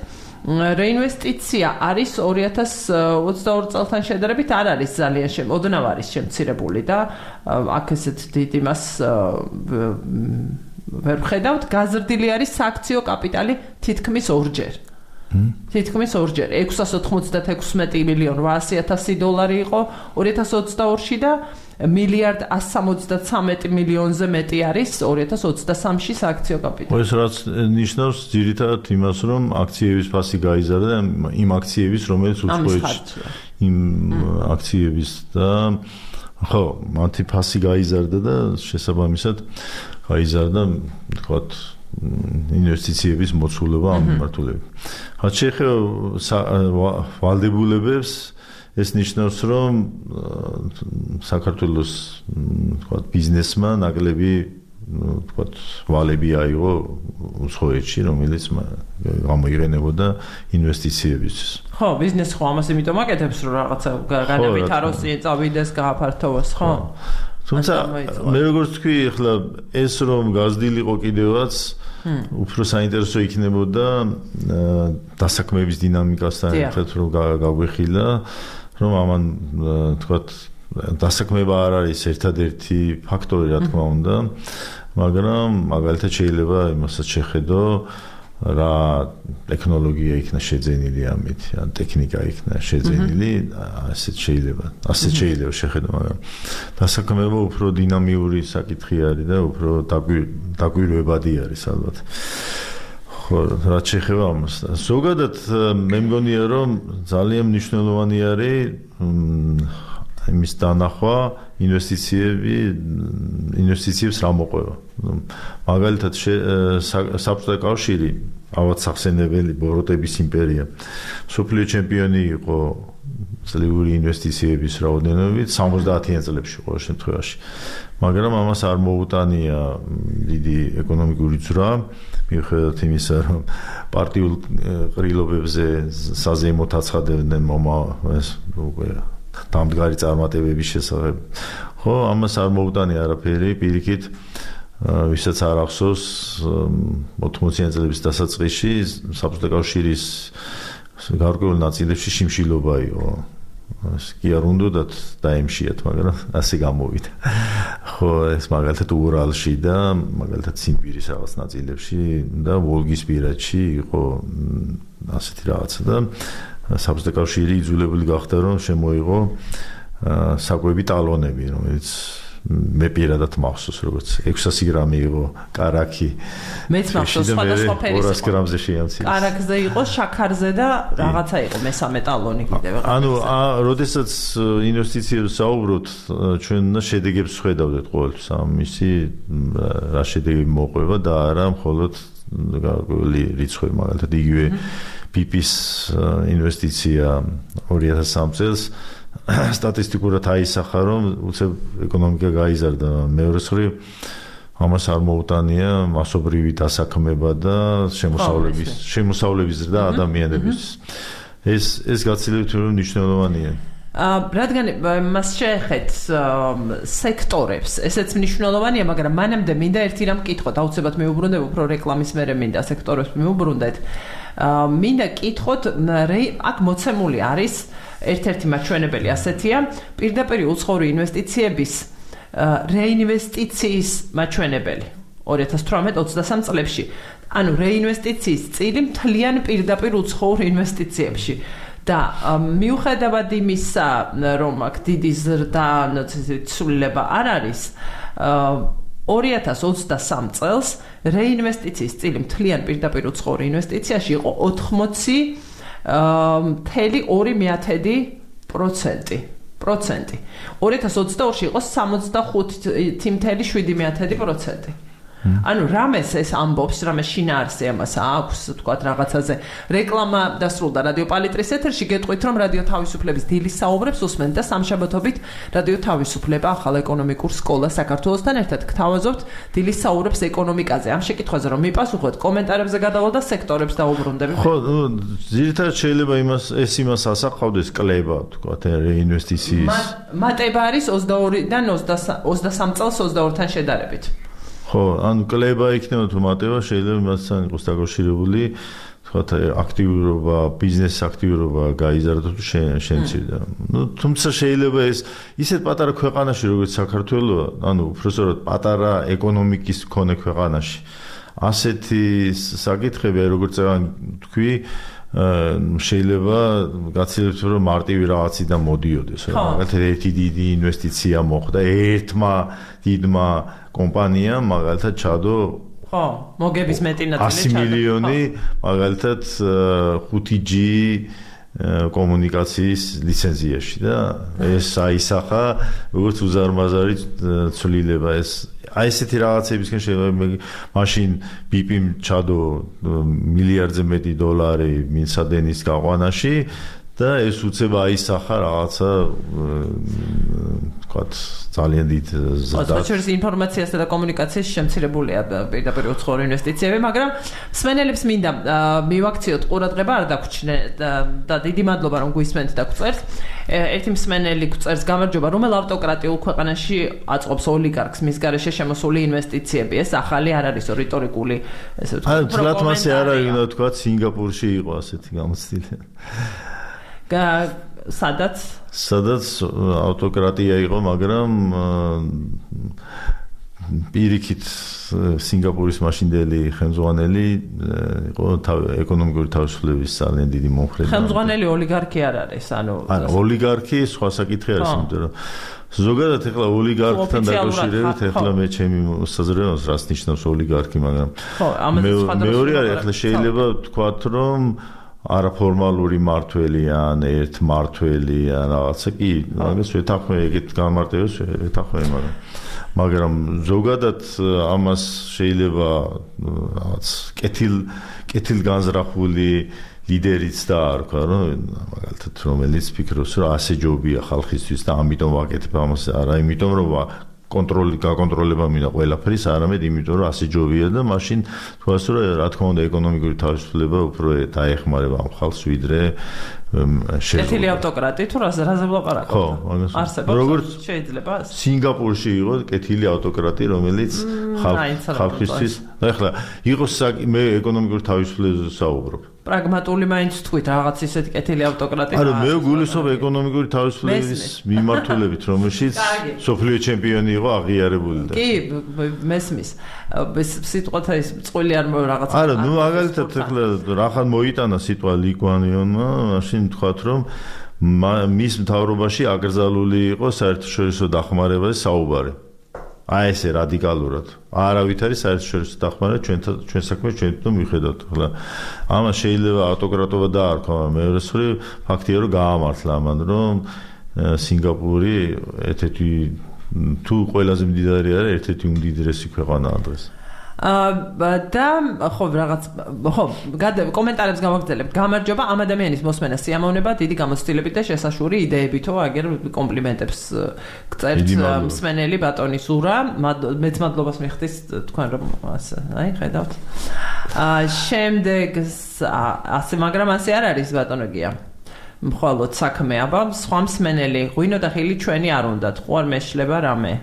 რეინვესტიცია არის 2022 წელთან შედარებით არ არის ძალიან ოდნავ არის შემცირებული და აქ ესეთ დიდ იმას ვერ ვხედავთ. გაზრდილი არის სააქციო კაპიტალი თითქმის ორჯერ. თითქმის ორჯერ 696 მილიონ 800,000 დოლარი იყო 2022-ში და მილიარდ 173 მილიონზე მეტი არის 2023-ში სააქციო კაპიტალი. ეს რაც ნიშნავს ძირითადად იმას, რომ აქციების ფასი გაიზარდა იმ აქციების, რომელიც უცხოეთში იმ აქციების და ხო, მათი ფასი გაიზარდა და შესაბამისად გაიზარდა, თქვათ, ინვესტიციების მოცულობა ამ მიმართულებით. რაც შეეხება ვალდებულებებს, ეს ნიშნავს, რომ საქართველოს, თქვათ, ბიზნესმა ნაკლები თქვათ ვალები აიღო უცხოეთში, რომელიც გამოიყენებოდა ინვესტიციებისთვის. ხო, ბიზნესი ხო ამას იმიტომ აკეთებს, რომ რაღაცა განავითაროს, წავიდეს, გააფართოვოს, ხო? თუმცა მე როგორც თქვი, ახლა ეს რომ გაზრდილიყო კიდევაც უფრო საინტერესო იქნებოდა დასაქმების დინამიკასთან ერთად რომ გაგვეხილა, რომ ამან თქვათ დასაქმება არ არის ერთადერთი ფაქტორი, რა თქმა უნდა, მაგრამ მაგალითად შეიძლება იმასაც შეხედო, რა ტექნოლოგია იქნა შეძენილი ამით, ან ტექნიკა იქნა შეძენილი, ასეთ შეიძლება შეხედო, მაგრამ დასაქმება უფრო დინამიური საკითხი არის და უფრო დაკვირვებადი არის ალბათ. ხო, რაც შეეხება ამას. ზოგადად მე მგონია, რომ ძალიან მნიშვნელოვანი არის იმის დანახვა, ინვესტიციებს რა მოყვება. მაგალითად საბჭოთა კავშირი, ავად სახსენებელი ბოროტების იმპერია, მსოფლიო ჩემპიონი იყო წლიური ინვესტიციების რაოდენობით 70-იან წლებში ყოველ შემთხვევაში. მაგრამ ამას არ მოუტანია დიდი ეკონომიკური ძვრა, მიუხედავად იმისა, რომ პარტიულ ყრილობებზე საზეიმოდ აცხადებდნენ დამდგარი წარმატებების შესახებ. ხო, ამას არ მოუტანია არაფერი, პირიქით, ვისაც არ ახსოვს 80-იან წლების დასაწყისში საბჭოთა კავშირის გარკვეულ ნაწილებში შიმშილობა იყო. კი არ უნდათ დაემშიათ, მაგრამ ასე გამოვიდა. ხო, ეს მაგალითად ურალში და მაგალითად ციმბირის რაღაც ნაწილებში და ვოლგისპირეთში იყო ასეთი რაღაცა და საბჭოთა კავშირი იძულებული გახდა, რომ შემოიღო საკვები ტალონები, რომელიც მე პირადად მახსოვს, როგორც 600 გრამი იყო კარაქი. მეც მახსოვს, სხვადასხვა ფერის 200 გრამზე შეამცირეს. კარაქზე იყო, შაქარზე და რაღაცა იყო მესამე ტალონი კიდევ. ანუ, როდესაც ინვესტიციებს საუბრობთ, ჩვენ უნდა შედეგებს ვხედავდეთ ყოველთვის, ამისი რა შედეგები მოყვება და არა მხოლოდ გარკვეული რიცხვი, მაგალითად იგივე PP-ის ინვესტიცია 2003 წელს სტატისტიკურად აისახა, რომ უცებ ეკონომიკა გაიზარდა, მეორე მხრივ ამას არ მოუტანია მასობრივი დასაქმება და შემოსავლების ზრდა ადამიანების. ეს გაცილებით მნიშვნელოვანია. რადგან მას შეეხეთ სექტორებს, ესეც მნიშვნელოვანია, მაგრამ მანამდე მინდა ერთი რამ კითხოთ, აუცილებლად მეუბრუნდებ, უფრო რეკლამის მერე მინდა სექტორებს მეუბრუნდეთ. მინდა კითხოთ, აქ მოცემული არის ერთ-ერთი მაჩვენებელი ასეთია, პირდაპირ უცხოური ინვესტიციების რეინვესტიციის მაჩვენებელი 2018-23 წლებში. ანუ რეინვესტიციის წილი მთლიან პირდაპირ უცხოურ ინვესტიციებში. და მიუხედავად იმისა, რომ აქ დიდი ზრდა, ცვლილება არ არის, 2023 წელს რეინვესტიციის წილი მთლიან პირდაპირ უცხოურ ინვესტიციაში იყო 80.2%. 2022-ში იყო 65.7%. ანუ რამეს ეს ამბობს, რამეს შინაარსი ამას აქვს, თქვათ რაღაცაზე. რეკლამა დასრულდა რადიო პალიტრის ეთერში, გეტყვით, რომ რადიო თავისუფლების დილის საუბრებს უსმენთ და სამშაბათობით რადიო თავისუფლება ახალ ეკონომიკურ სკოლას საქართველოსთან ერთად გთავაზობთ დილის საუბრებს ეკონომიკაზე. ამ შეკითხვაზე რომ მიპასუხოთ, კომენტარებზე გადავალ და სექტორებს დავუბრუნდები. ხო, ძირითადად შეიძლება იმას ასახავდეს კლება, თქვათ, რეინვესტიციის. მატება არის 22-დან 23 წელს 22-თან შედარებით. ხო, ანუ კლება იქნება თუ მატება, შეიძლება მასთან იყოს დაკავშირებული, თქვათ, აქტიურობა, ბიზნესის აქტიურობა გაიზარდა თუ შემცირდა. თუმცა შეიძლება ეს ისეთ პატარა ქვეყანაში, როგორც საქართველო, ანუ უბრალოდ პატარა ეკონომიკის მქონე ქვეყანაში, ასეთი საკითხები, როგორც თქვი, შეიძლება გაცილებით რომ მარტივი რაღაციდან მოდიოდეს, მაგალითად ერთი დიდი ინვესტიცია მოხდა ერთმა დიდმა კომპანიამ, მაგალითად ჩადო ხო, მოგების მეტი ნაწილი 100 მილიონი, მაგალითად 5G კომუნიკაციის ლიცენზიაში და ეს აისახა როგორც უზარმაზარი ცვლილება ეს აი ესეთი რაღაცებისგან შეიძლება მაშინ BP-მ ჩადო მილიარდზე მეტი დოლარი მისადენის გაყვანაში და ეს უცებ აისახა რაღაცა თქვათ ძალიან დიდ ზრდას. ოღონდ ინფორმაციასა და კომუნიკაციის შემცირებულია პირდაპირ უცხოური ინვესტიციები, მაგრამ მსმენელებს მინდა მივაქციოთ ყურადღება არ დაგვრჩნე და დიდი მადლობა რომ გვისმენთ და გვწერთ. ერთი მსმენელი გვწერს გამარჯობა, რომელ ავტოკრატიულ ქვეყანაში აწყობს ოლიგარქს მის გარეშე შემოსული ინვესტიციები. ეს ახალი არ არის რიტორიკული, ესე ვთქვათ. თლათ მასე არ არის, უნდა ვთქვათ, სინგაპურში იყო ასეთი გამოცდილი. სადაც ავტოკრატია იყო, მაგრამ პირიქით სინგაპურის მაშინდელი ხელმძღვანელი იყო ეკონომიკური თავისუფლების ძალიან დიდი მომხრე. ხელმძღვანელი ოლიგარქი არ არის, ანუ ოლიგარქი სხვა საკითხი არის, იმიტომ რომ ზოგადად ეხლა ოლიგარქთან დაკავშირებით ეხლა მე ჩემი საზრდოობს რას ნიშნავს ოლიგარქი, მაგრამ მეორე არის ეხლა შეიძლება ვთქვათ, რომ არაფორმალური მართველი ან ერთმართველი ან რაღაცა კი, მაგას ვეთანხმე ეგეთ გამარტივებს ვეთანხმე, მაგრამ ზოგადად ამას შეიძლება რაღაც კეთილგანზრახული ლიდერიც დაარქვა, რომ მაგალითად რომელიც ფიქრობს, რომ ასე ჯობია ხალხისთვის და ამიტომ ვაკეთებ ამას, არა იმიტომ რომ გაკონტროლება მინდა ყველაფრის, არამედ იმიტომ რომ ასე ჯობია და მაშინ თქოს რომ რა თქმა უნდა ეკონომიკური თავისუფლება უფრო დაეხმარება ამ ხალხს ვიდრე კეთილი ავტოკრატი თუ რაზე ვლაპარაკობ? ხო, არსებობს შეიძლება სინგაპურში იყო კეთილი ავტოკრატი, რომელიც ხალხისთვის ეხლა იყოს მე ეკონომიკური თავისუფლებაზე საუბრობ. პრაგმატული მაინც თქვით რაღაც ისეთი კეთილი ავტოკრატი. არა, მე გულისხმობ ეკონომიკური თავისუფლების მიმართულებით, რომელშიც სოფლიო ჩემპიონი იყო აღიარებული და კი, მესმის. სიტყვათა ის წყვილი არ რაღაც. არა, ნუ მაგალითად ეხლა რახან მოიტანა სიტყვა ლიკვანიონმა, მაშინ თქვათ რომ მის მთავრობაში აკრძალული იყო საერთაშორისო დახმარებაზე საუბარი. აი ესე რადიკალურად. არავით არის საერთაშორისო დახმარება ჩვენ საქმეს ჩვენ თვითონ მივხედავთ. ახლა ამას შეიძლება ავტოკრატობა დაარქვა, მეორე მხრივ ფაქტია რომ გაამართლა ამან, რომ სინგაპური ერთ-ერთი თუ ყველაზე მდიდარი არის, ერთ-ერთი უმდიდრესი ქვეყანაა დღეს. და ხო რაღაც კომენტარებს გავაგრძელებთ. გამარჯობა ამ ადამიანის მოსმენა სიამოვნება, დიდი გამოცდილებით და შესაშური იდეებითო, აგერ კომპლიმენტებს გწერთ მსმენელი ბატონი ზურა. მეც მადლობას მიხდის თქვენ რომ აი ხედავთ. შემდეგ ასე, მაგრამ ასე არ არის ბატონოგია. მხოლოდ საქმე აბა, სხვა მსმენელი ღვინო და ხილი ჩვენი არ უნდათ, ხო არ მეშლება რამე.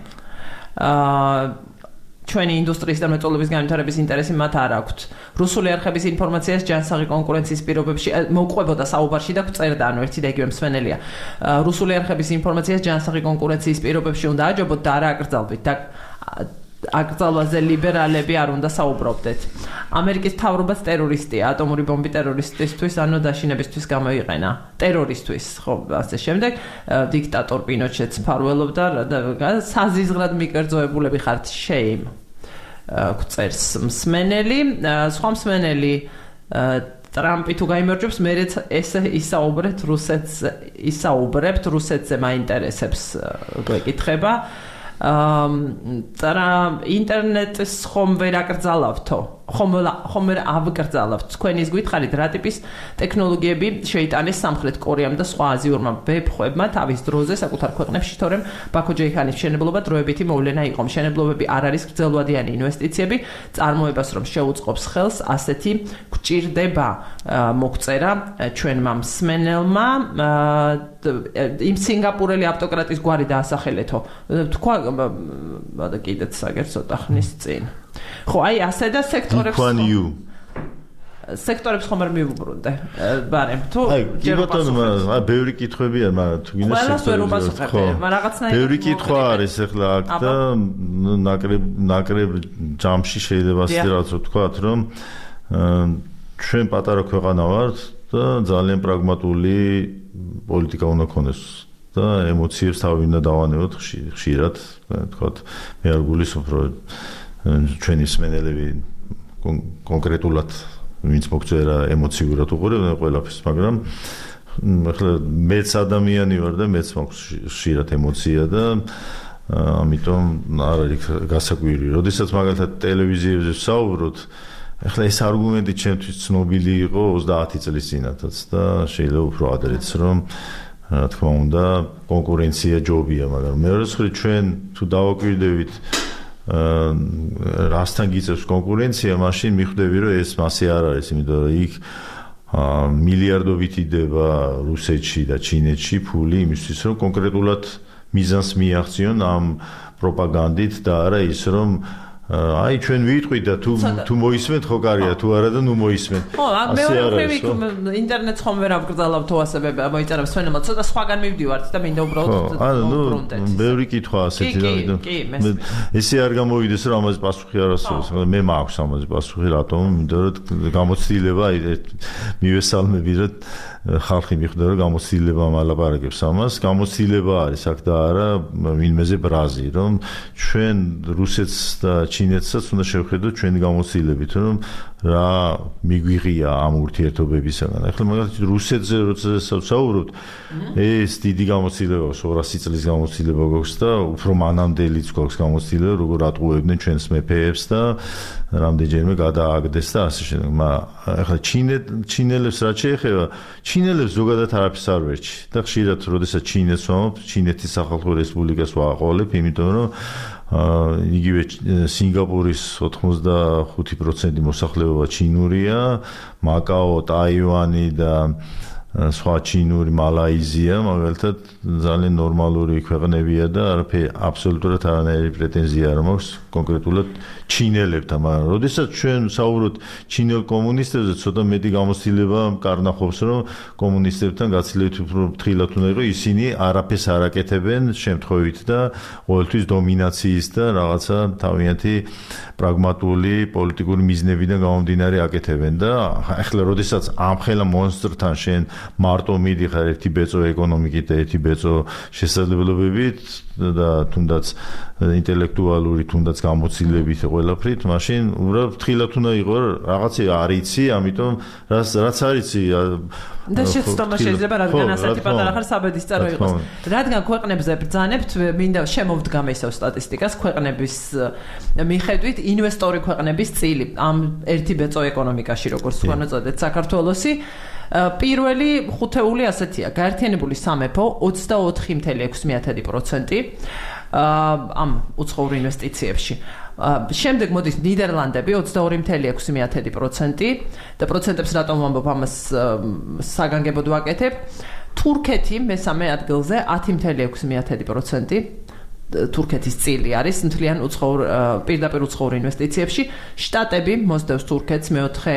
ჩვენი ინდუსტრიის და მრეწველობის განვითარების ინტერესი მათ არ აქვთ. რუსული არხების ინფორმაციას ჯანსაღი კონკურენციის პირობებში მოუყვებოდა საუბარში და გწერდა, ანუ ერთი და იგივე მსმენელია. რუსული არხების ინფორმაციას ჯანსაღი კონკურენციის პირობებში უნდა აჯობოთ და არა აკრძალვით და აკრძალვაზე ლიბერალები არ უნდა საუბრობდეთ. ამერიკის მთავრობაც ტერორისტია, ატომური ბომბი ტერორისტისთვის, ანუ დაშინებისთვის გამოიყენა. ტერორისთვის, ხო, ასე შემდეგ, დიქტატორ პინოჩეტს მფარველობდა და საზიზღრად მიკერძოებულები ხართ შეიმ. გწერს მსმენელი, სხვა მსმენელი ტრამპი თუ გაიმარჯვებს, მერეც ესე ისაუბრებთ რუსეთზე მაინტერესებს გვეკითხება. ინტერნეტს ხომ ვერ აკრძალავთო? ხომ ვერ ავკრძალავთ? თქვენ ის გითხარით, რა ტიპის ტექნოლოგიები შეიტანეს სამხრეთ კორეამ და სხვა აზიურმა ვებხვებმა თავის დროზე საკუთარ ქვეყნებში, თორემ ბაქო ჯეიჰანის მშენებლობა დროებითი მოვლენა იყო. მშენებლობები არ არის გრძელვადიანი ინვესტიციები, წარმოებას რომ შეუწყობს ხელს, ასეთი გვჭირდება, მოგწერა ჩვენმა მსმენელმა. იმ სინგაპურელი ავტოკრატის გვარი დაასახელეთო. თქვა და კიდეც აგერ ცოტა ხნის წინ. ხო, აი ასე და სექტორებს ხომ არ მივუბრუნდე, ბარემ თუ კი ბატონო, ბევრი კითხვებია, მაგრამ თუ გინდა სექტორებს ბევრი კითხვა არის ახლა აქ და ნაკრებ ჯამში შეიძლება ასე რაღაც ვთქვათ, რომ ჩვენ პატარა ქვეყანა ვართ და ძალიან პრაგმატული პოლიტიკა უნდა ქონდეს და ემოციებს თავი უნდა დავანებოთ ხშირად, ვთქვათ, მე არ გულისხმობ რომ ჩვენი მსმენელები კონკრეტულად ვინც მოგწერა ემოციურად უყურებენ ყველაფერს, მაგრამ ახლა მეც ადამიანი ვარ და მეც მაქვს ხშირად ემოცია და ამიტომ არ არის გასაკვირი. როდესაც მაგალითად ტელევიზიებზე ვსაუბრობთ, ახლა ეს არგუმენტი ჩემთვის ცნობილი იყო 30 წლის წინათაც და შეიძლება უფრო ადრეც რომ რა თქმა უნდა კონკურენცია ჯობია, მაგრამ მეორე მხრივ ჩვენ თუ დავაკვირდებით რასთან გიწევს კონკურენცია, მაშინ მიხვდები რომ ეს მასე არ არის, იმიტომ რომ იქ მილიარდობით იდება რუსეთში და ჩინეთში ფული იმისთვის რომ კონკრეტულად მიზანს მიაღწიონ ამ პროპაგანდით და არა ის რომ აი ჩვენ ვიტყვით და თუ მოისმენთ ხო კარია თუ არა და ნუ მოისმენთ. ხო, მეორე ინტერნეტს ხომ ვერ ავგრძალავ თუ ასე მოიწერებს ჩვენმა ცოტა სხვაგან მივდივართ და მინდა უბრალოდ ნუ ბევრი კითხვა ასეთი და ესე არ გამოვიდეს რომ ამაზე პასუხი არ არსებობს. მე მაქვს ამაზე პასუხი რატომ? იმიტომ რომ გამოცდილება მივესალმები რომ ხალხი მიხვდა რომ გამოცდილება მალაპარაკებს ამას. გამოცდილება არის აქ და არა ვინმეზე ბრაზი რომ ჩვენ რუსეთს და ჩინეთსაც უნდა შევხედოთ ჩვენი გამოცდილებით რომ რა მიგვიღია ამ ურთიერთობებისგან. ახლა მაგალითად რუსეთზე როცა საუბრობთ, ეს დიდი გამოცდილება 200 წლის გამოცდილება გვაქვს და უფრო მანამდელიც გვაქვს გამოცდილება როგორ ატყუებდნენ ჩვენს მეფეებს და რამდენჯერმე გადააგდეს და ასე შემდეგ. ახლა ჩინელებს რაც შეეხება, ჩინელებს ზოგადად არაფერს არ ვერჩი და ხშირად როდესაც ჩინეთს ვამბობ, ჩინეთის სახალხო რესპუბლიკას ვაყოლებ, იმიტომ რომ იგივე სინგაპურის 85% მოსახლეობა ჩინურია, მაკაო, ტაივანი და სხვა ჩინური მალაიზია მაგალითად ძალიან ნორმალური ქვეყნებია და აბსოლუტურად არანაირი პრეტენზია არ მაქვს კონკრეტულად ჩინელებთან, მაგრამ როდესაც ჩვენ საუბრობთ ჩინელ კომუნისტებზე, ცოტა მეტი გამოცდილება კარნახობს, რომ კომუნისტებთან გაცილებით უფრო ფრთხილად უნდა იყოს, ისინი არაფერს არ აკეთებენ შემთხვევით და ყოველთვის დომინაციის და რაღაცა თავიანთი პრაგმატული პოლიტიკური მიზნებიდან გამომდინარე აკეთებენ და ახლა როდესაც ამხელა მონსტრთან შენ მარტო მიდიხარ ერთი ბეწო ეკონომიკით და ერთი ბეწო შესაძლებლობებით და თუნდაც ინტელექტუალური თუნდაც გამოცდილებით ყველაფრით, მაშინ უბრალოდ ფრთხილად უნდა იყო რაღაცა არიცი, ამიტომ რაც არიცი და შეცდომა შეიძლება რადგან ასეთი პატარა ხარ საბედის წარო იყოს. რადგან ქვეყნებზე ბრძანებთ, მინდა შემოვდგამ ესევ სტატისტიკას ქვეყნების მიხედვით ინვესტორი ქვეყნების წილი ამ ერთი ბეწო ეკონომიკაში როგორც ვანაწოდეთ საქართველოსი პირველი ხუთეული ასეთია. გაერთიანებული სამეფო 24.6% ამ უცხოურ ინვესტიციებში. შემდეგ მოდის ნიდერლანდები 22.6% და პროცენტებს რატომ ვამბობ ამას საგანგებოდ ვაკეთებ. თურქეთი მესამე ადგილზე 10.6%. თურქეთის წილი არის მთლიან პირდაპირ უცხოურ ინვესტიციებში. შტატები მოსდევს თურქეთს მეოთხე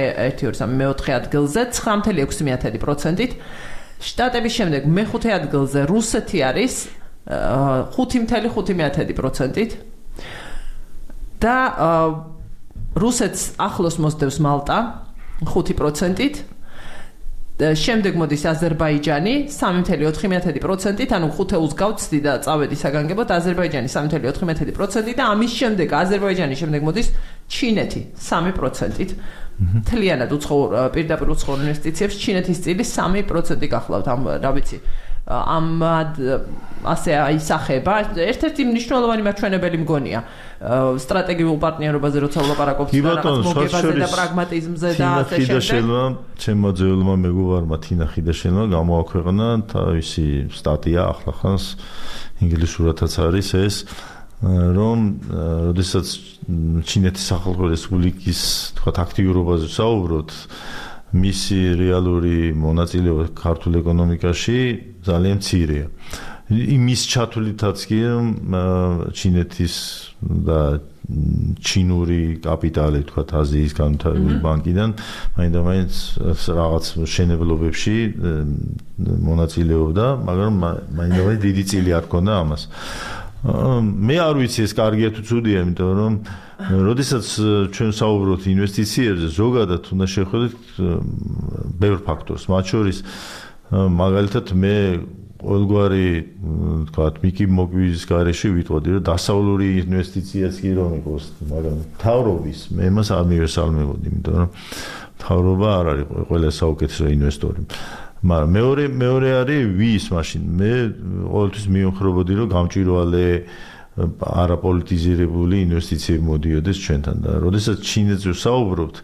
ადგილზე 9.6%. შტატების შემდეგ მეხუთე ადგილზე რუსეთი არის 5.5%. და რუსეთს ახლოს მოსდევს მალტა 5%. შემდეგ მოდის აზერბაიჯანი 3.4%, ანუ 5-ს გავცდი და წავედი საგანგებოდ. აზერბაიჯანი 3.4% და ამის შემდეგ აზერბაიჯანის შემდეგ მოდის ჩინეთი 3%. მთლიანად პირდაპირ უცხოურ ინვესტიციებს ჩინეთის წილი 3% გახლავთ. რა ვიცი, ამ ასე აისახება. ერთ-ერთი მნიშვნელოვანი მაჩვენებელი მგონია სტრატეგიულ პარტნიორობაზე როცა ვლაპარაკობთ რაღაც მოგებაზე და პრაგმატიზმზე და ასე შემდეგ. ჩემმა ძეულმა მეგობარმა თინა ხიდაშელმა გამოაქვეყნა თავისი სტატია ახლახანს ინგლისურადაც არის ეს, რომ როდესაც ჩინეთის სახალხო რესპუბლიკის თქვა აქტიურობაზე საუბრობთ, მისი რეალური მონაწილეობა ქართულ ეკონომიკაში ძალიან მცირეა. იმის ჩათვლითაც კი ჩინეთის და ჩინური კაპიტალი თქვა აზიის განვითარებული ბანკიდან მაინდა-მაინც რაღაც შენებლობებში მონაწილეობდა, მაგრამ მაინდა-მაინც დიდი წილი არ ჰქონდა ამას. მე არ ვიცი ეს კარგია თუ ცუდია, იმიტომ რომ როდესაც ჩვენ საუბრობთ ინვესტიციებზე, ზოგადად უნდა შევხედოთ ბევრ ფაქტორს, მათ შორის მაგალითად მე ყოველგვარი თქვათ მიკი მოკვიის გარეშე ვიტყოდი, რომ დასავლური ინვესტიციაც კი რომ იყოს, მაგრამ მთავრობის მე მას არ მივესალმებოდი, იმიტომ რომ მთავრობა არ არის ყველა საუკეთესო ინვესტორი. მაგრამ მეორე არის ვის მაშინ მე ყოველთვის მივხვდებოდი რომ გამჭვირვალე არაპოლიტიზირებული ინვესტიციები მოდიოდეს ჩვენთან და როდესაც ჩინეთზე ვსაუბრობთ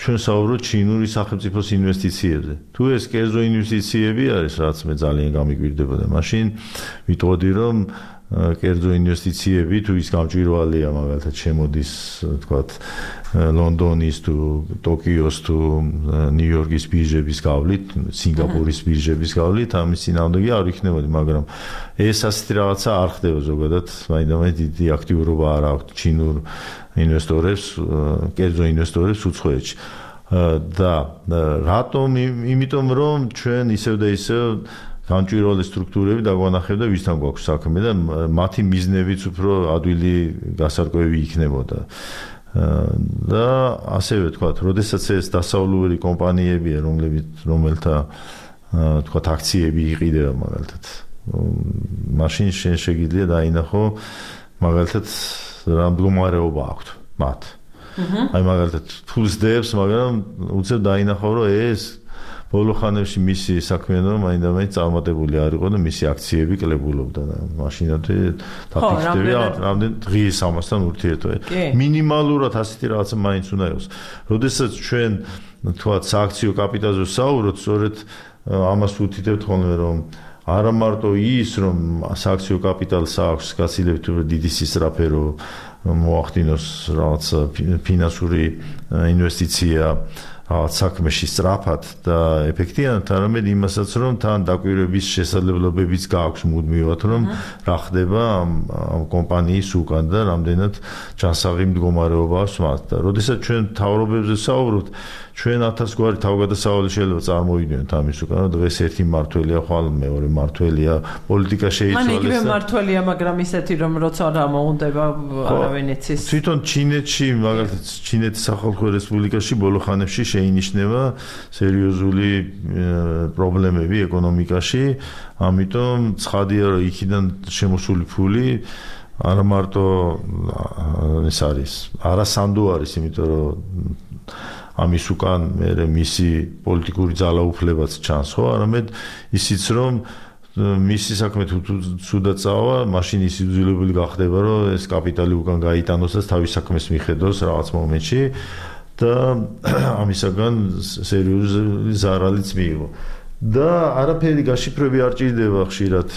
ჩვენ საუბრობთ ჩინური სახელმწიფოს ინვესტიციებზე. თუ ეს კერძო ინვესტიციები არის, რაც მე ძალიან გამიგვირდებოდა, მაშინ ვიტყოდი, რომ კერძო ინვესტიციები თუ ის გამჭვირვალეა, მაგალითად შემოდის, თქვათ, ლონდონის თუ ტოკიოს თუ ნიუ-იორკის ბირჟების გავლით, სინგაპურის ბირჟების გავლით, ამის წინააღმდეგი არ იქნებოდი, მაგრამ ეს ასეთი რაღაცა არ ხდება ზოგადად, მაინც დიდი აქტიურობა არ აქვს ჩინურ ინვესტორებს, კერძო ინვესტორებს უცხოეთში. და რატომ? იმიტომ რომ ჩვენ ისევ და ისევ განჭვირვალე სტრუქტურები დაგვანახებდა და ვისთან გვაქვს საქმე და მათი მიზნებიც უფრო ადვილი გასარკვევი იქნებოდა. და ასევე თქვათ, როდესაც ეს დასავლური კომპანიებია, რომელთა თქვათ აქციები იყიდება მაგალითად. მაშინ შენ შეგიძლია დაინახო მაგალითად რა მდგომარეობა აქვთ მათ. აი მაგალითად ფულს დებს, მაგრამ უცებ დაინახო, რომ ეს ბოლო ხანებში მისი საქმიანობა მაინც წარმატებული არ იყო და მისი აქციები კლებულობდა და მაშინათი დაფიქსირდა რამდენ დღის ამასთან ურთიერთობა. მინიმალურად ასეთი რაღაცა მაინც უნდა იყოს. როდესაც ჩვენ თქვათ სააქციო კაპიტალზე ვსაუბრობთ, სწორედ ამას ვუთითებთ ხოლმე, რომ არა მარტო ის, რომ სააქციო კაპიტალს აქვს გაცილებით დიდი სისწრაფე, მოახდინოს რაღაც ფინანსური ინვესტიცია რაღაც საქმეში სწრაფად და ეფექტიანად, არამედ იმასაც, რომ თან დაკვირვების შესაძლებლობებიც გააქვს მუდმივად, რომ რა ხდება ამ კომპანიის უკან და რამდენად ჯანსაღი მდგომარეობა აქვს მათ. და როდესაც ჩვენ თავრობებზე ვსაუბრობთ, ჩვენ 1000 გვარი თავგადასავალი შეიძლება წარმოვიდგინოთ ამის უკან, რომ დღეს ერთი მართველია, ხვალ მეორე მართველია, პოლიტიკა შეიცვალეს. იგივე მართველია, მაგრამ ისეთი, რომ როცა რა მოუნდება, არავინ იცის. თვითონ ჩინეთში, მაგალითად, ჩინეთის სახალხო რესპუბლიკაში ბოლო ხანებში შეინიშნება სერიოზული პრობლემები ეკონომიკაში, ამიტომ ცხადია, რომ იქიდან შემოსული ფული არა მარტო ეს არის, არასანდო არის, იმიტომ რომ ამის უკან მე მისი პოლიტიკური ძალაუფლებაც ჩანს, ხო, არამედ ისიც, რომ მისი საქმე თუ ცუდად წავა, მაშინ ის იძულებული გახდება, რომ ეს კაპიტალი უკან გაიტანოს და თავის საქმეს მიხედოს რაღაც მომენტში და ამისაგან სერიოზული ზარალიც მიიღო. და არაფერი გაშიფრები არ ჭირდება ხშირად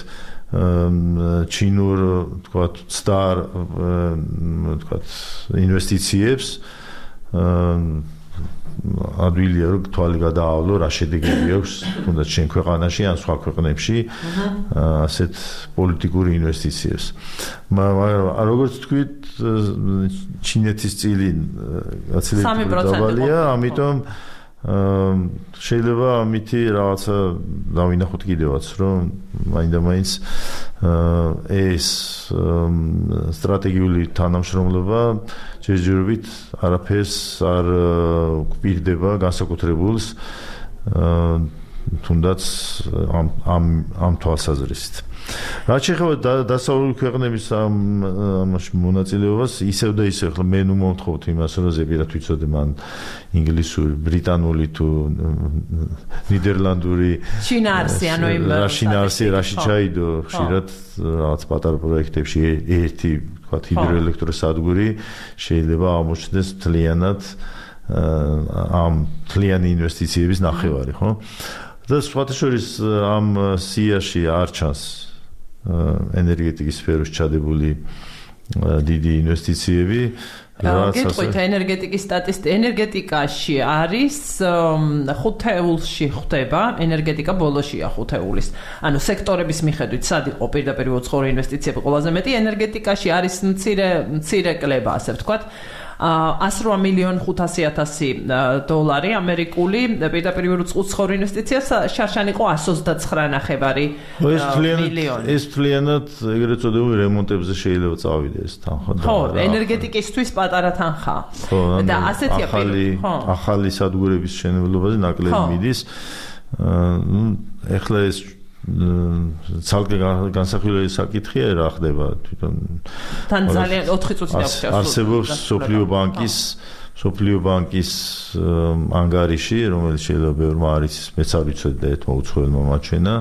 ჩინურ, თქვათ, სტარ, თქვათ, ინვესტიციებს. ადვილია, რომ თვალი გადაავლო, რა შედეგები აქვს, თუნდაც შენ ქვეყანაში ან სხვა ქვეყნებში ასეთ პოლიტიკური ინვესტიციებს. მაგრამ როგორც თქვით, ჩინეთის წილი გაცილებით დაბალია, ამიტომ შეიძლება ამითი რაღაცა დავინახოთ კიდევაც, რომ მაინც ეს სტრატეგიული თანამშრომლობა ჯერჯერობით არაფერს არ გვპირდება განსაკუთრებულს თუნდაც ამ თვალსაზრისით. რაც შეეხება დასავლური ქვეყნების ამაში მონაწილეობას, ისევ და ისევ, ხლა მე ნუ მომთხოვთ იმას, რომ ზეპირად ვიცოდე მან ინგლისური, ბრიტანული თუ ნიდერლანდური შინაარსი, ანუ იმ რაში ჩაიდო ხშირად რაღაც პატარა პროექტებში ერთი, ვთქვათ, ჰიდროელექტროსადგური შეიძლება აღმოჩნდეს მთლიანად ამ მთლიანი ინვესტიციების ნახევარი, ხო? და სხვათა შორის ამ სიაში არ ჩანს ენერგეტიკის სფეროში ჩადებული დიდი ინვესტიციები. გეტყვით ენერგეტიკაში არის 5 ეულში ხდება, ენერგეტიკა ბოლოშია 5 ეულის. ანუ სექტორების მიხედვით სად იყო პირდაპირ უცხოური ინვესტიციები ყველაზე მეტი, ენერგეტიკაში არის მცირე კლება, ასე ვთქვათ. 108,500,000 დოლარი ამერიკული პირდაპირ უცხოური ინვესტიცია, შარშან იყო 129,900,000 მილიონი. ეს თლიანად ეგრეთ წოდებული რემონტებზე შეიძლება წავიდე ეს თანხა. ხო, ენერგეტიკისთვის პატარა თანხა. და ასეთია ახალი სადგურების მშენებლობაზე ნაკლები მიდის. ეხლა ეს ცალკე განსახილველი საკითხია რა ხდება თვითონ თან ძალიან 4 წუთი დაგვჭირს არსებობს სოფლიო ბანკის ანგარიში, რომელიც შეიძლება ბევრმა არ იცის, მეც არ ვიცოდი და ერთმა უცხოელმა მაჩვენა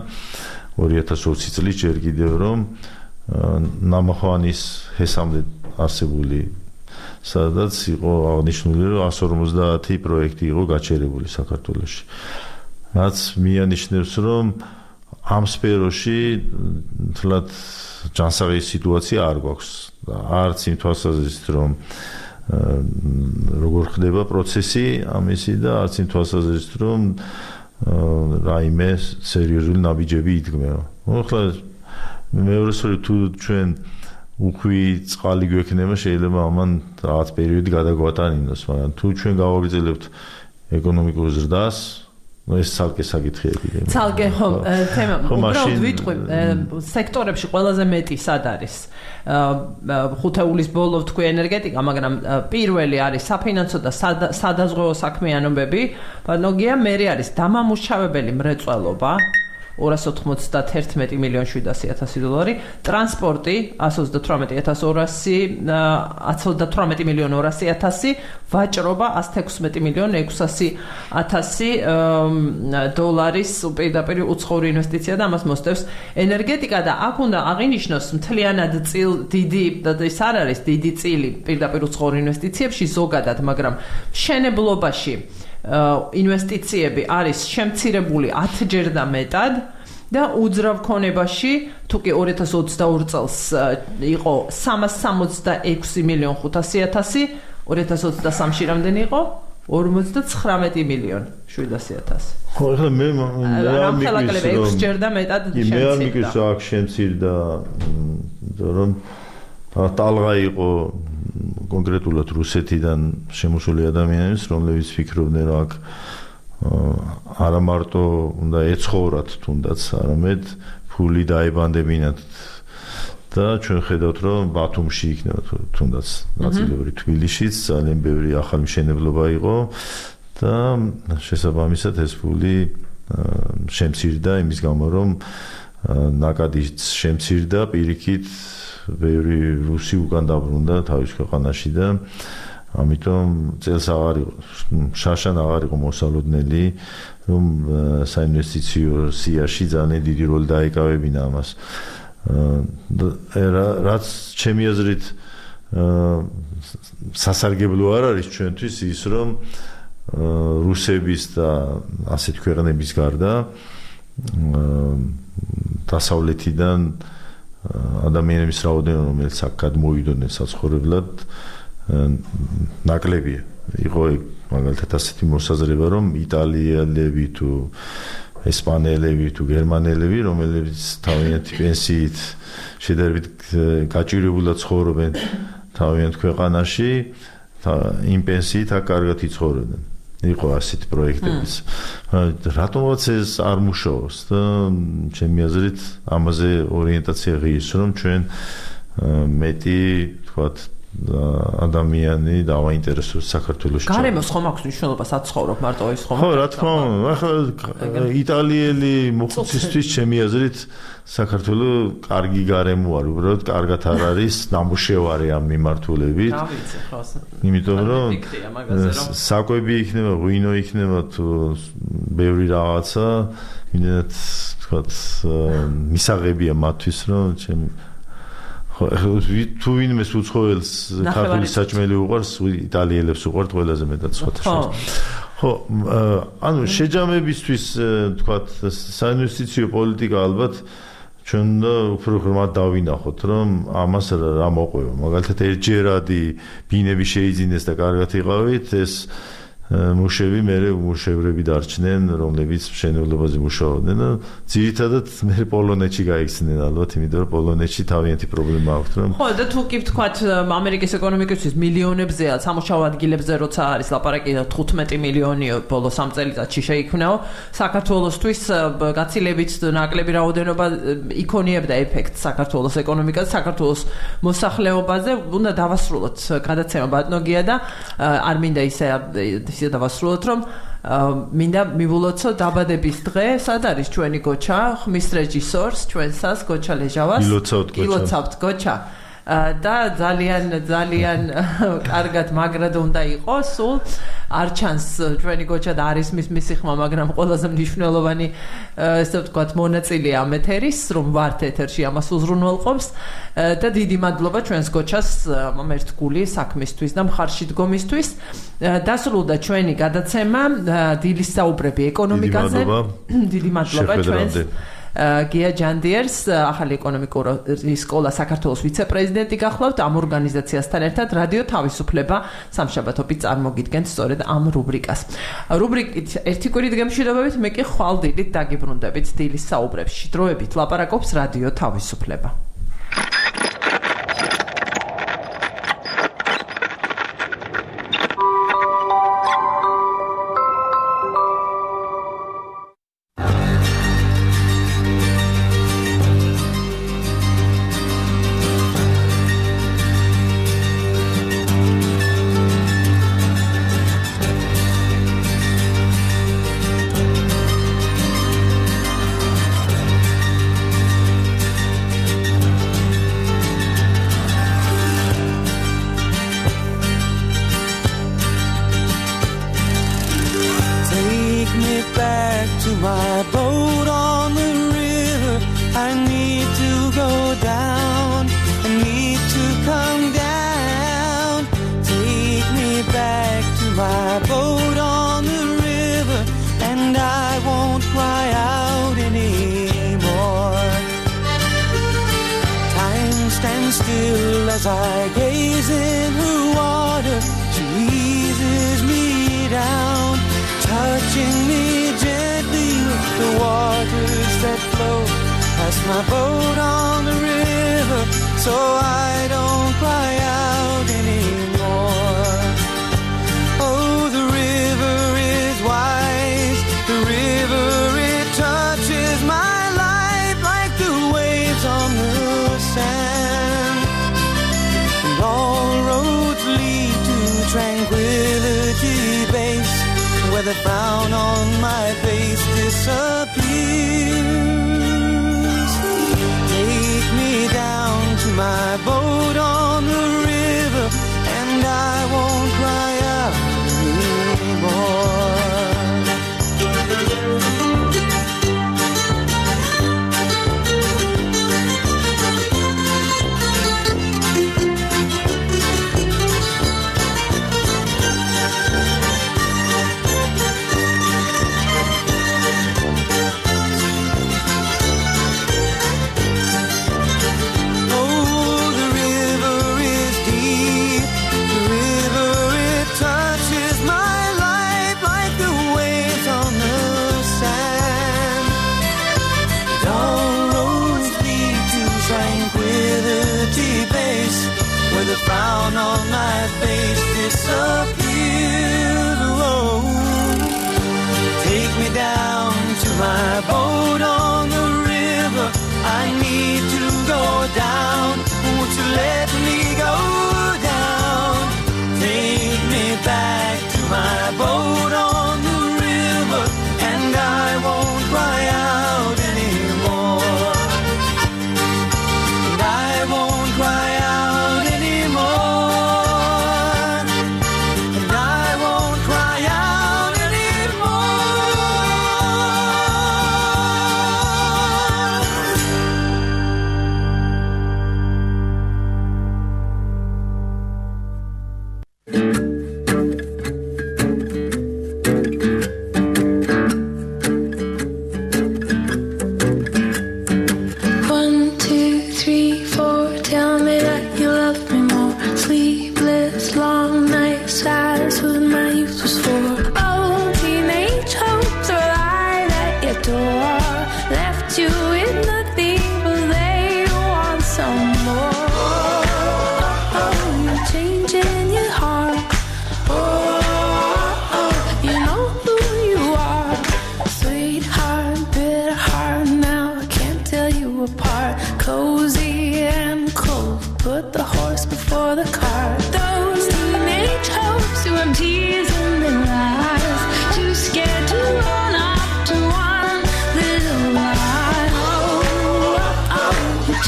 2020 წლის ჯერ კიდევ რომ ნამახვანის ჰესამდე არსებული, სადაც იყო აღნიშნული, რომ 150 პროექტი იყო გაჩერებული საქართველოში. რაც მიანიშნებს, რომ ამ სფეროში თლად ჯანსაღი სიტუაცია არ გვაქვს. არც იმ თვალსაზრისით, რომ როგორ ხდება პროცესი ამისი და არც იმ თვალსაზრისით, რომ რაიმე სერიოზული ნაბიჯები იდგმება. ახლა მეორე სწორედ თუ ჩვენ უხვი წყალი გვექნება, შეიძლება ამან რაღაც პერიოდი გადაგვატანინოს, მაგრამ თუ ჩვენ გავაგრძელებთ ეკონომიკურ ზრდას, ეს ცალკე საკითხია. ცალკე ხო, თემა უბრალოდ ვიტყვი, სექტორებში ყველაზე მეტი სად არის? ხუთეულის ბოლო თქვი ენერგეტიკა, მაგრამ პირველი არის საფინანსო და სადაზღვევო საქმიანობები, ბანოგია, მერე არის დამამუშავებელი მრეწველობა 291 მილიონ 700,000 დოლარი, ტრანსპორტი 138 მილიონ 200,000, ვაჭრობა 116 მილიონ 600,000 დოლარის პირდაპირ უცხოური ინვესტიცია და ამას მოსდევს ენერგეტიკა და აქ უნდა აღინიშნოს მთლიანად დიდი ის არ არის დიდი წილი პირდაპირ უცხოური ინვესტიციებში ზოგადად, მაგრამ მშენებლობაში ინვესტიციები არის შემცირებული 10-ჯერ და მეტად და უძრავ ქონებაში თუ კი 2022 წელს იყო 366 მილიონ 500,000, 2023-ში რამდენი იყო? 59 მილიონ 700,000. ხო, ახლა მე არ მიგვის 6-ჯერ და მეტად შემცირდა. მე არ მიგვის აქ შემცირდა, რომ ტალღა იყო კონკრეტულად რუსეთიდან შემოსული ადამიანებს, რომლებიც ფიქრობდნენ, რომ აქ არა მარტო უნდა ეცხოვრათ თუნდაც, არამედ ფული დაებანდებინათ და ჩვენ ხედავთ, რომ ბათუმში იქნება თუნდაც ნაწილობრივ თბილისშიც ძალიან ბევრი ახალი მშენებლობა იყო და შესაბამისად ეს ფული შემცირდა იმის გამო, რომ ნაკადიც შემცირდა პირიქით ბევრი რუსი უკან დაბრუნდა თავის ქვეყანაში და ამიტომ წელს აღარ იყო შაშან აღარ იყო მოსალოდნელი რომ საინვესტიციო სიაში ძალიან დიდი როლი დაეკავებინა ამას რაც ჩემი აზრით სასარგებლო არ არის ჩვენთვის ის რომ რუსების და ასეთ ქვეყნების გარდა დასავლეთიდან ადამიანების რაოდენობა რომელიც აქ გადმოვიდოდნენ საცხოვრებლად ნაკლებია. იყო მაგალითად ასეთი მოსაზრება რომ იტალიელები თუ ესპანელები თუ გერმანელები რომლებიც თავიანთი პენსიით შედარებით გაჭირებულად ცხოვრობენ თავიანთ ქვეყანაში იმ პენსიით აქ კარგად იცხოვრებენ. იყო ასეთი პროექტებიც. რატომაც ეს არ მუშაობს და ჩემი აზრით ამაზე ორიენტაცია ღირს რომ ჩვენ მეტი თქვათ ადამიანი დავაინტერესოს საქართველოში. გარემოს ხომ აქვს მნიშვნელობა საცხოვრობ მარტო ის ხომ? ხო, რა თქმა უნდა. ახლა იტალიელი მოხუცისთვის ჩემი აზრით საქართველო კარგი გარემო არ უბრალოდ კარგად არ არის ნამუშევარი ამ მიმართულებით. იმიტომ რომ საკვები იქნება, ღვინო იქნება თუ ბევრი რაღაცა, იმედად თქვათ მისაღებია მათთვის რომ ჩემი ხო, თუ ვინმეს უცხოელს ქართული საჭმელი უყვარს, იტალიელებს უყვართ ყველაზე მეტად სხვათა. ხო, ანუ შეჯამებისთვის თქვათ საინვესტიციო პოლიტიკა ალბათ ჩვენ უნდა უფრო ღრმად დავინახოთ, რომ ამას რა მოყვება. მაგალითად ერთჯერადი ბინები შეიძინეს და კარგად იყავით, ეს მუშები მერე უმუშევრები დარჩნენ, რომლებიც მშენებლობაზე მუშაობდნენ და ძირითადად მე პოლონეთში გაიქცნენ ალბათ, იმიტომ რომ პოლონეთში თავიანთი პრობლემა აქვს, რომ ხო, და თუ კი ვთქვათ ამერიკის ეკონომიკისთვის მილიონებზეა სამუშაო ადგილებზე როცა არის ლაპარაკი 15 მილიონი ბოლო 3 წელიწადში შეიქმნაო, საქართველოსთვის გაცილებით ნაკლები რაოდენობა იქონიებდა ეფექტს საქართველოს ეკონომიკაზე, საქართველოს მოსახლეობაზე, უნდა დავასრულოთ გადაცემა ბატონოგია და არ მინდა ისე დავასრულოთ რომ მინდა მივულოცო დაბადების დღე, სად არის ჩვენი გოჩა, ხმის რეჟისორს, ჩვენსას გოჩა ლეჟავას. ილოცავთ გოჩა. და ძალიან კარგად მაგრად უნდა იყოს სულ არ ჩანს ჩვენი გოჩა და არის მისი ხმა მაგრამ ყველაზე მნიშვნელოვანი ესე ვთქვათ მონაწილეა ამ ეთერის რომ ვართ ეთერში ამას უზრუნველყოფს და დიდი მადლობა ჩვენს გოჩას ამ ერთგული საქმისთვის და მხარში დგომისთვის დასრულდა ჩვენი გადაცემა დილის საუბრები ეკონომიკაზე დიდი მადლობა ჩვენს გია ჯანდიერს ახალი ეკონომიკური სკოლა საქართველოს ვიცე-პრეზიდენტი გახლავთ ამ ორგანიზაციასთან ერთად რადიო თავისუფლება სამშაბათობით წარმოგიდგენთ სწორედ ამ რუბრიკას რუბრიკით ერთი კვირით გემშვიდობებით მე კი ხვალ დილით დაგიბრუნდებით დილის საუბრებში დროებით ლაპარაკობს რადიო თავისუფლება As I gaze in her water, she eases me down, touching me gently with the waters that flow past my boat on the river, so I don't cry out anymore. Oh, the river is wise, the river, it touches my life like the waves on the sand. All roads lead to tranquility base, where the frown on my face disappears. Take me down to my boat on the river, and I won't cry out anymore. The frown on my face disappears. Oh, take me down to my boat on the river. I need to go down. Won't you let me go down? Take me back to my boat on the river, and I won't cry out anymore. And I won't cry out.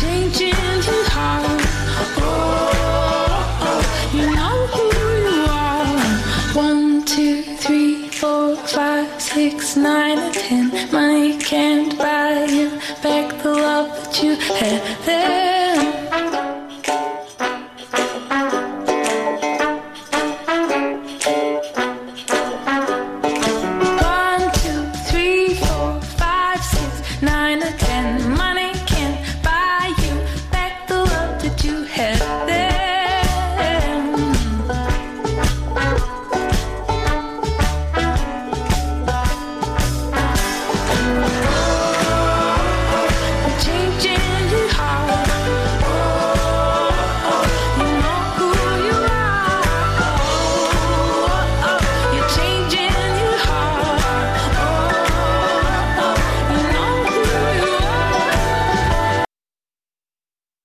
Changing find you hard. Oh, you know who you are. 1, 2, 3, 4, 5, 6, 9, and 10. Money can't buy you back the love that you had there.